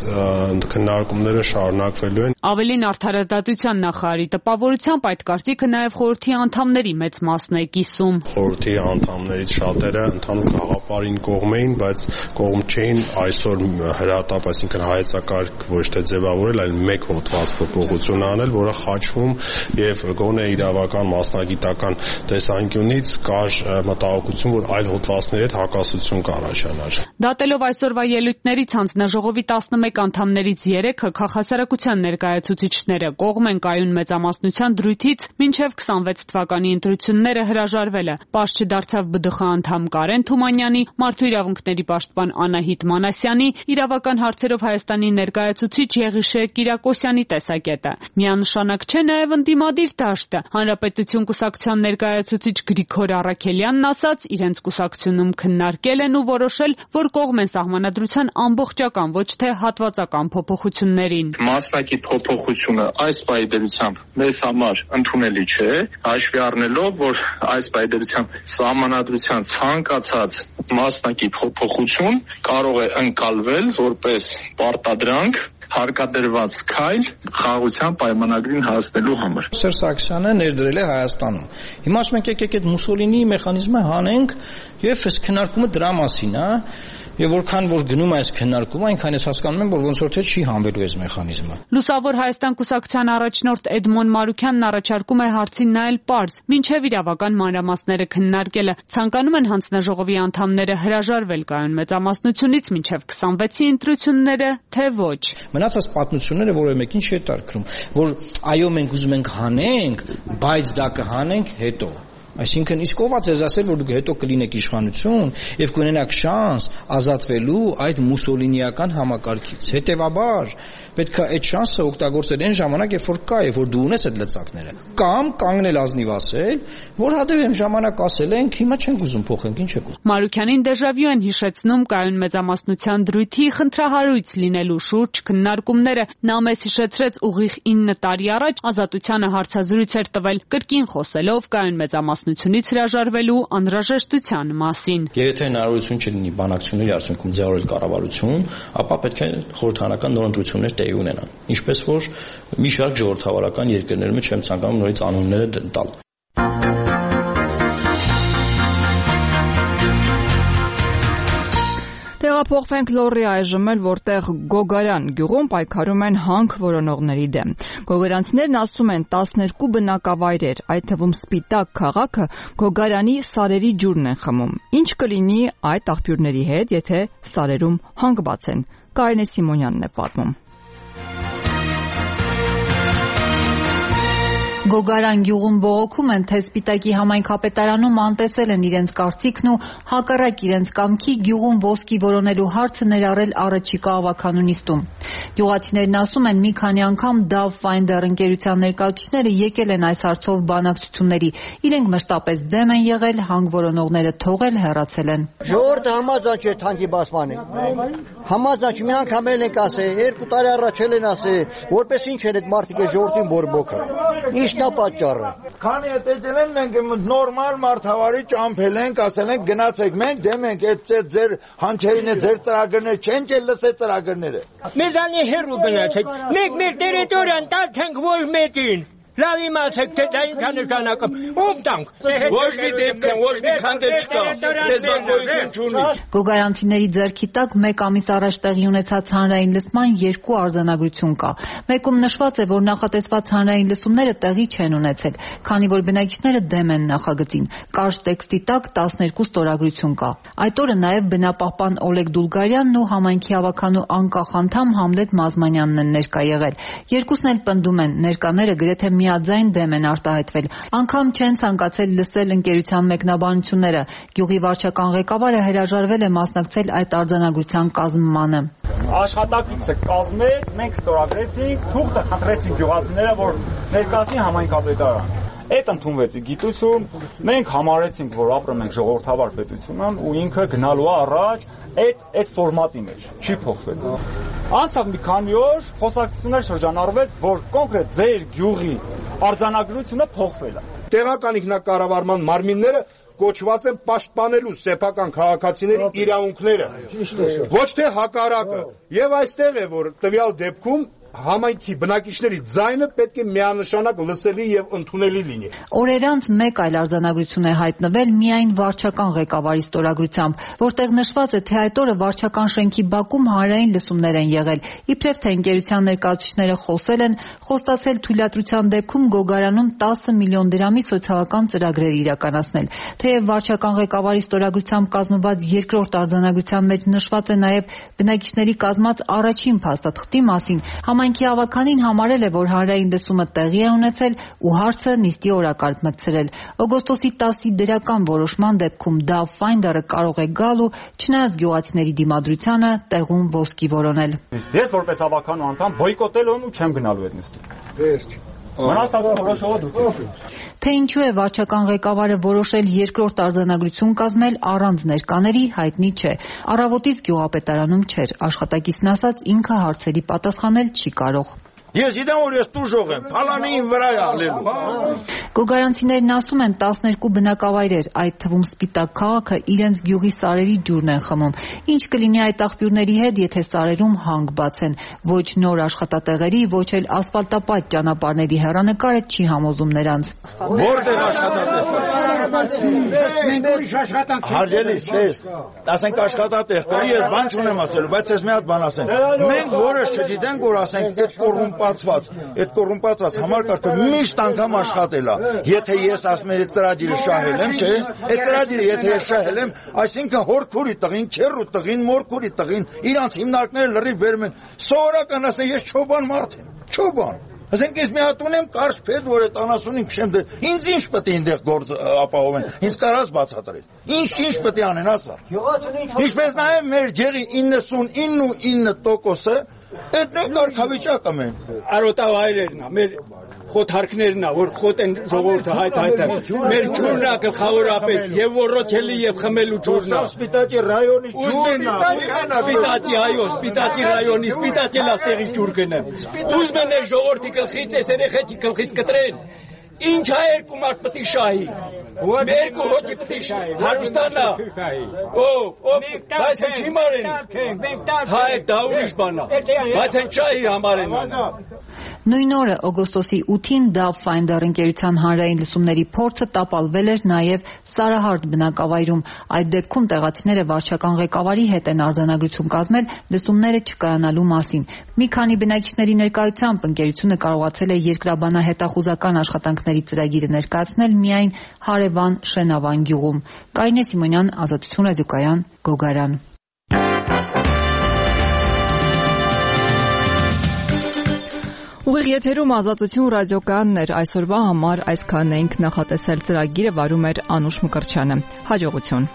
Speaker 6: քննարկումները շարունակվելու են։
Speaker 3: Ավելին արդարադատության նախարարի տպավորությամբ այդ կարծիքը նաեւ խորհրդի անդամների մեծ մասն է կիսում։
Speaker 6: Խորհրդի անդամներից շատերը ընդհանուր գաղափարին կողմ էին, բայց կողմ չէին այսօր հրատապ, այսինքն հայեցակարգ ոչ թե ձևավորել, այլ մեկ հոդված փոփոխություն անել, որը խաչվում եւ գոնե իրավական մասնագիտական տեսանկյունից կար մտահոգություն, որ այլ հոդվածների հետ հակասություն կառաջանար։
Speaker 3: Դատելով այսօրվա ելույթներից հանձնաժողովի տասնմեկ անդամներից երեքը քաղաքասարակության ներկայացուցիչները կողմ են կայուն մեծամասնության դրույթից մինչև քսանվեց թվականի ընտրությունները հրաժարվելը։ Պարզ չդարձավ ԲԴԽ անդամ Կարեն Թումանյանի, Մարդու իրավունքների պաշտպան Անահիտ Մանասյանի, իրավական հարցերով Հայաստանի ներկայացուցիչ Եղիշե Կիրակոսյանի տեսակետը։ Միանշանակ չէ նաև ընդդիմադիր դաշտը։ Հանրապետություն կուսակցության ներկայացուցիչ Գրիգոր Առաքելյանն ասաց, իրենց կուսակցությունում քննարկել են ու որոշել, որ կողմ են սահմանադրության ամբողջական, ոչ թե հատվածական փոփոխություններին։
Speaker 7: Մասնակի փոփոխությունը այս պայմանությամբ մեզ համար ընդունելի չէ, հաշվի առնելով, որ այս պայմանությամբ սահմանադրության ցանկացած մասնակի փոփոխություն կարող է ընկալվել որպես պարտադրանք հարկադրված քայլ խաղաղության պայմանագրին հասնելու համար։
Speaker 9: Սերժ Սարգսյանը ներդրել է Հայաստանում։ Հիմա ասում ենք եկեք այդ Մուսոլինիի մեխանիզմը հանենք եւ այս քննարկումը դրա մասին է։ Եվ որքան որ գնում է այս քննարկումը, այնքան ես հասկանում եմ, որ ոնց որ թե չի հանվելու այս մեխանիզմը։
Speaker 3: Լուսավոր Հայաստան կուսակցության առաջնորդ Էդմոն Մարուքյանն առաջարկում է հարցին նայել պարզ, մինչև իրավական մանրամասները քննարկելը։ Ցանկանում են հանձնաժողովի անդամները հրաժարվել կայուն մեծամասնությունից մինչև քսանվեցի ընտրությունները, թե ոչ։
Speaker 9: Մնացած պատմությունները որևէ մեկին չի տարկրում, որ այո մենք ուզում ենք հանենք, բայց դա կհանենք հետո։ Այսինքն իսկ ով է ձեզ ասել, որ դուք հետո կլինեք իշխանություն եւ կունենաք շանս ազատվելու այդ մուսոլինիական համակարգից։ Հետևաբար պետք է այդ շանսը օգտագործել այն ժամանակ, երբ որ կա, երբ որ դու ունես այդ լծակները։ Կամ կանգնել ազնիվ ասել, որ հադև այն ժամանակ ասել ենք, հիմա չենք ուզում փոխենք, ինչ եք ուզում։
Speaker 3: Մարուքյանին դեժավյու են հիշեցնում կայուն մեծամասնության դրույթի խնդրահարույց լինելու շուրջ քննարկումները։ Նա մեզ հիշեցրեց ուղիղ ինը տարի առաջ Ազատությանը հարցազրույց էր տվել, կրկին խոսելով կայուն մեծամասնությունից հրաժարվելու անհրաժեշտության մասին։
Speaker 9: Եթե հնարավորություն չլինի բանակցությունների արդյունքում ձեռնել կառավարություն, ապա պետք է խորհրդարանական նոր ընտրություններ տեղի ունենան։ Ինչպես որ մի շարք ժողովրդավարական երկրներում չեմ ցանկանում նորից անունները տալ։
Speaker 1: Տեղափոխվենք Լոռի այժմ էլ, որտեղ Գոգարան գյուղում պայքարում են հանք որոնողների դեմ։ Գոգարանցիներն ասում են տասներկու բնակավայրեր, այդ թվում Սպիտակ քաղաքը Գոգարանի սարերի ջուրն են խմում։ Ինչ կլինի այդ աղբյուրների հետ, եթե սարերում հանք բացեն։ Կարինե Սիմոնյանն է պատմում։
Speaker 8: Գոգարան գյուղում բողոքում են, թե Սպիտակի համայնքապետարանում անտեսել են իրենց կարծիքն ու հակառակ իրենց կամքի գյուղում ոսկի որոնելու հարցը ներառել առաջիկա ավականու նիստում։ Գյուղացիներն ասում են, մի քանի անգամ Dove Finder ընկերության ներկայացուցիչները եկել են այս հարցով բանակցությունների։ Իրենք մշտապես դեմ են եղել, հանք որոնողները թողել, հեռացել են։
Speaker 10: Ժողովուրդը համաձայն չէ թանկի բացմանը։ Համաձայն մի անգամ էլ ենք ասել, երկու տարի առաջ էլ են ասել, որպես ինչ են այդ մարդիկ ժողովրդին բորբոքը։ Ինչն է պատճառը։
Speaker 11: Քանի հետ եկել են մենք նորմալ մարդավարի ճամփել ենք, ասել ենք գնացեք, մենք դեմ ենք այդ ձեր հանչերին է ձեր ծրագրներ չեն չէ լսե ծրագրները։
Speaker 12: Մեզանի հերու գնացեք։ Մենք մեր տերիտորիան տալ չենք ոչ մեկին։ Լավ իմացեք, թե դա ինչ նշանակում։ Ում տանք։
Speaker 11: Ոչ մի դեպք, ոչ մի քանդել չկա։ Դες բանկոյություն չունի։
Speaker 8: Գոգարանցիների ձեռքի տակ մեկ ամիս առաջ տեղի ունեցած հանրային լսման երկու արձանագրություն կա։ Մեկում նշված է, որ նախատեսված հանրային լսումները տեղի չեն ունեցել, քանի որ բնակիչները դեմ են նախագծին։ Կարճ տեքստի տակ տասներկու ստորագրություն կա։ Այդ օրը նաև բնապահպան Օլեգ Դուլգարյանն ու համայնքի ավականու անկախ անդամ Համլետ Մազմանյանն են ներկա եղել։ Երկուսն էլ պնդում են, ներկաները գրեթե միաձայն դեմ են արտահայտվել։ Անգամ չեն ցանկացել լսել ընկերության մեկնաբանությունները։ Գյուղի վարչական ղեկավարը հրաժարվել է մասնակցել այդ արձանագրության կազմմանը։
Speaker 11: Աշխատակիցը կազմեց, մենք ստորագրեցինք, թուղթը խնդրեցինք գյուղացիները, որ ներկայացնի համայնքապետարան։ Այդ ընդունվեց գիտություն, մենք համարեցինք, որ ապրում ենք ժողովրդավար պետությունում ու ինքը գնալու է առաջ այդ այդ ֆորմատի մեջ, չի փոխվել։ Անցավ մի քանի օր, խոսակցություններ շրջանառվեց, որ կոնկրետ ձեր գյուղի արձանագրությունը փոխվել է։ Տեղական ինքնակառավարման մարմինները կոչված են պաշտպանելու սեփական քաղաքացիների իրավունքները։ Ոչ թե հակառակը։ Եվ այստեղ է, որ տվյալ դեպքում համայնքի բնակիչների ձայնը պետք է միանշանակ լսելի եւ ընդունելի լինի։
Speaker 8: Օրեր անց մեկ այլ արձանագրություն է հայտնվել միայն վարչական ղեկավարի ստորագրությամբ, որտեղ նշված է, թե այդ օրը վարչական շենքի բակում հանրային լսումներ են եղել, իբրև թե ընկերության ներկայացուցիչները խոսել են, խոստացել թույլատրության դեպքում Գոգարանում տասը միլիոն դրամի սոցիալական ծրագրեր իրականացնել։ Թեև վարչական ղեկավարի ստորագրությամբ կազմված երկրորդ արձանագրության մեջ նշված է նաև բնակիչների կազմած առաջին փաստաթղթի մասին, Համայնքի ավականին համարել է, որ հանրային լսումը տեղի է ունեցել ու հարցը նիստի օրակարգ մտցրել։ Օգոստոսի տասի դրական որոշման դեպքում Dove Finder-ը կարող է գալ ու չնայած գյուղացիների դիմադրությանը տեղում ոսկի որոնել։
Speaker 11: Ես որպես ավականու անդամ բոյկոտել եմ ու չեմ գնալու այդ նիստին։
Speaker 8: Թե ինչու է վարչական ղեկավարը որոշել երկրորդ արձանագրություն կազմել առանց ներկաների, հայտնի չէ։ Առավոտից գյուղապետարանում չէր, աշխատակիցն ասաց ինքը հարցերի պատասխանել չի կարող։
Speaker 11: Ես գիտեմ, որ ես տուժող եմ, փալանին վրա է ալելու։
Speaker 8: Գոգարանցիներն ասում են տասներկու բնակավայրեր, այդ թվում Սպիտակ քաղաքը իրենց գյուղի սարերի ջուրն են խմում։ Ինչ կլինի այդ աղբյուրների հետ, եթե սարերում հանք բացեն։ Ոչ նոր աշխատատեղերի, ոչ էլ ասֆալտապատ ճանապարհների հեռանկարը չի համոզում նրանց։
Speaker 11: Որտեղ աշխատատեղ։ Հարգելիս, ես, ասենք աշխատատեղ կլի, ես բան չունեմ ասելու, բայց ես մի հատ բան ասեմ։ Մենք որս չգիտենք, որ ասենք այդ կոռումպացված, այդ կոռումպացված համակարգը միշտ անգամ աշխատել է։ Եթե ես ասում եմ այդ ծրագիրը շահել եմ, չէ՞, այդ ծրագիրը եթե ես շահել եմ, այսինքն հորքուրի տղին, չերու տղին, մորքուրի տղին, իրանց հիմնարկները լրիվ բերում են։ Սովորական ասեն, ես չոբան մարդ եմ, չոբան։
Speaker 5: Ասենք ես մի հատ ունեմ կարճ փետ, որ այդ անասունին քշեմ դե ինձ ինչ պետք է այնտեղ գործ ապահովեն։ Ինձ կարաս բացատրել։ Ինչ ինչ պետք է անեն, ասա։ Ինչպես նաև մեր ջերի իննսունինը տոկոսը այդ նույն կարգավիճակը մեն։
Speaker 12: Արոտավայրերն է, մեր խոթարքներն է, որ խոտ են ժողովուրդը հայտ-հայտը։ Մեր ջուրն է գլխավորապես եւ ոռոչելի եւ խմելու ջուրն է։
Speaker 5: Սպիտակի ռայոնի ջուրն է։
Speaker 12: Սպիտակի այո, Սպիտակի ռայոնի, Սպիտակի լաստեղի ջուր գնեմ։ Ուզում են ժողովրդի գլխից, այս երեխեքի գլխից կտրեն։ Ինչ է երկու մարդ պետք է շահի։ Երկու հոգի պետք է շահի։ Հարուստանա։ Ով, ով, բայց չի մարեն։ Հայ դա ուրիշ բան է։ Բայց այն շահի համար են։
Speaker 8: Նույն օրը օգոստոսի ութին Dove-Finder ընկերության հանրային լսումների փորձը տապալվել էր նաև Սարահարթ բնակավայրում։ Այդ դեպքում տեղացիները վարչական ղեկավարի հետ են արձանագրություն կազմել լսումները չկայանալու մասին։ Մի քանի բնակիչների ներկայությամբ ընկերությունը կարողացել է երկրաբանահետախուզական աշխատանքների ծրագիրը ներկայացնել միայն հարևան Շենավան գյուղում։ Կարինե Սիմոնյան, Ազատություն ռադիոկայան, Գոգարան։
Speaker 1: Ուղիղ եթերում Ազատություն ռադիոկայանն էր, այսօրվա համար այսքանն էինք նախատեսել, ծրագիրը վարում էր Անուշ Մկրտչյանը։ Հաջողություն։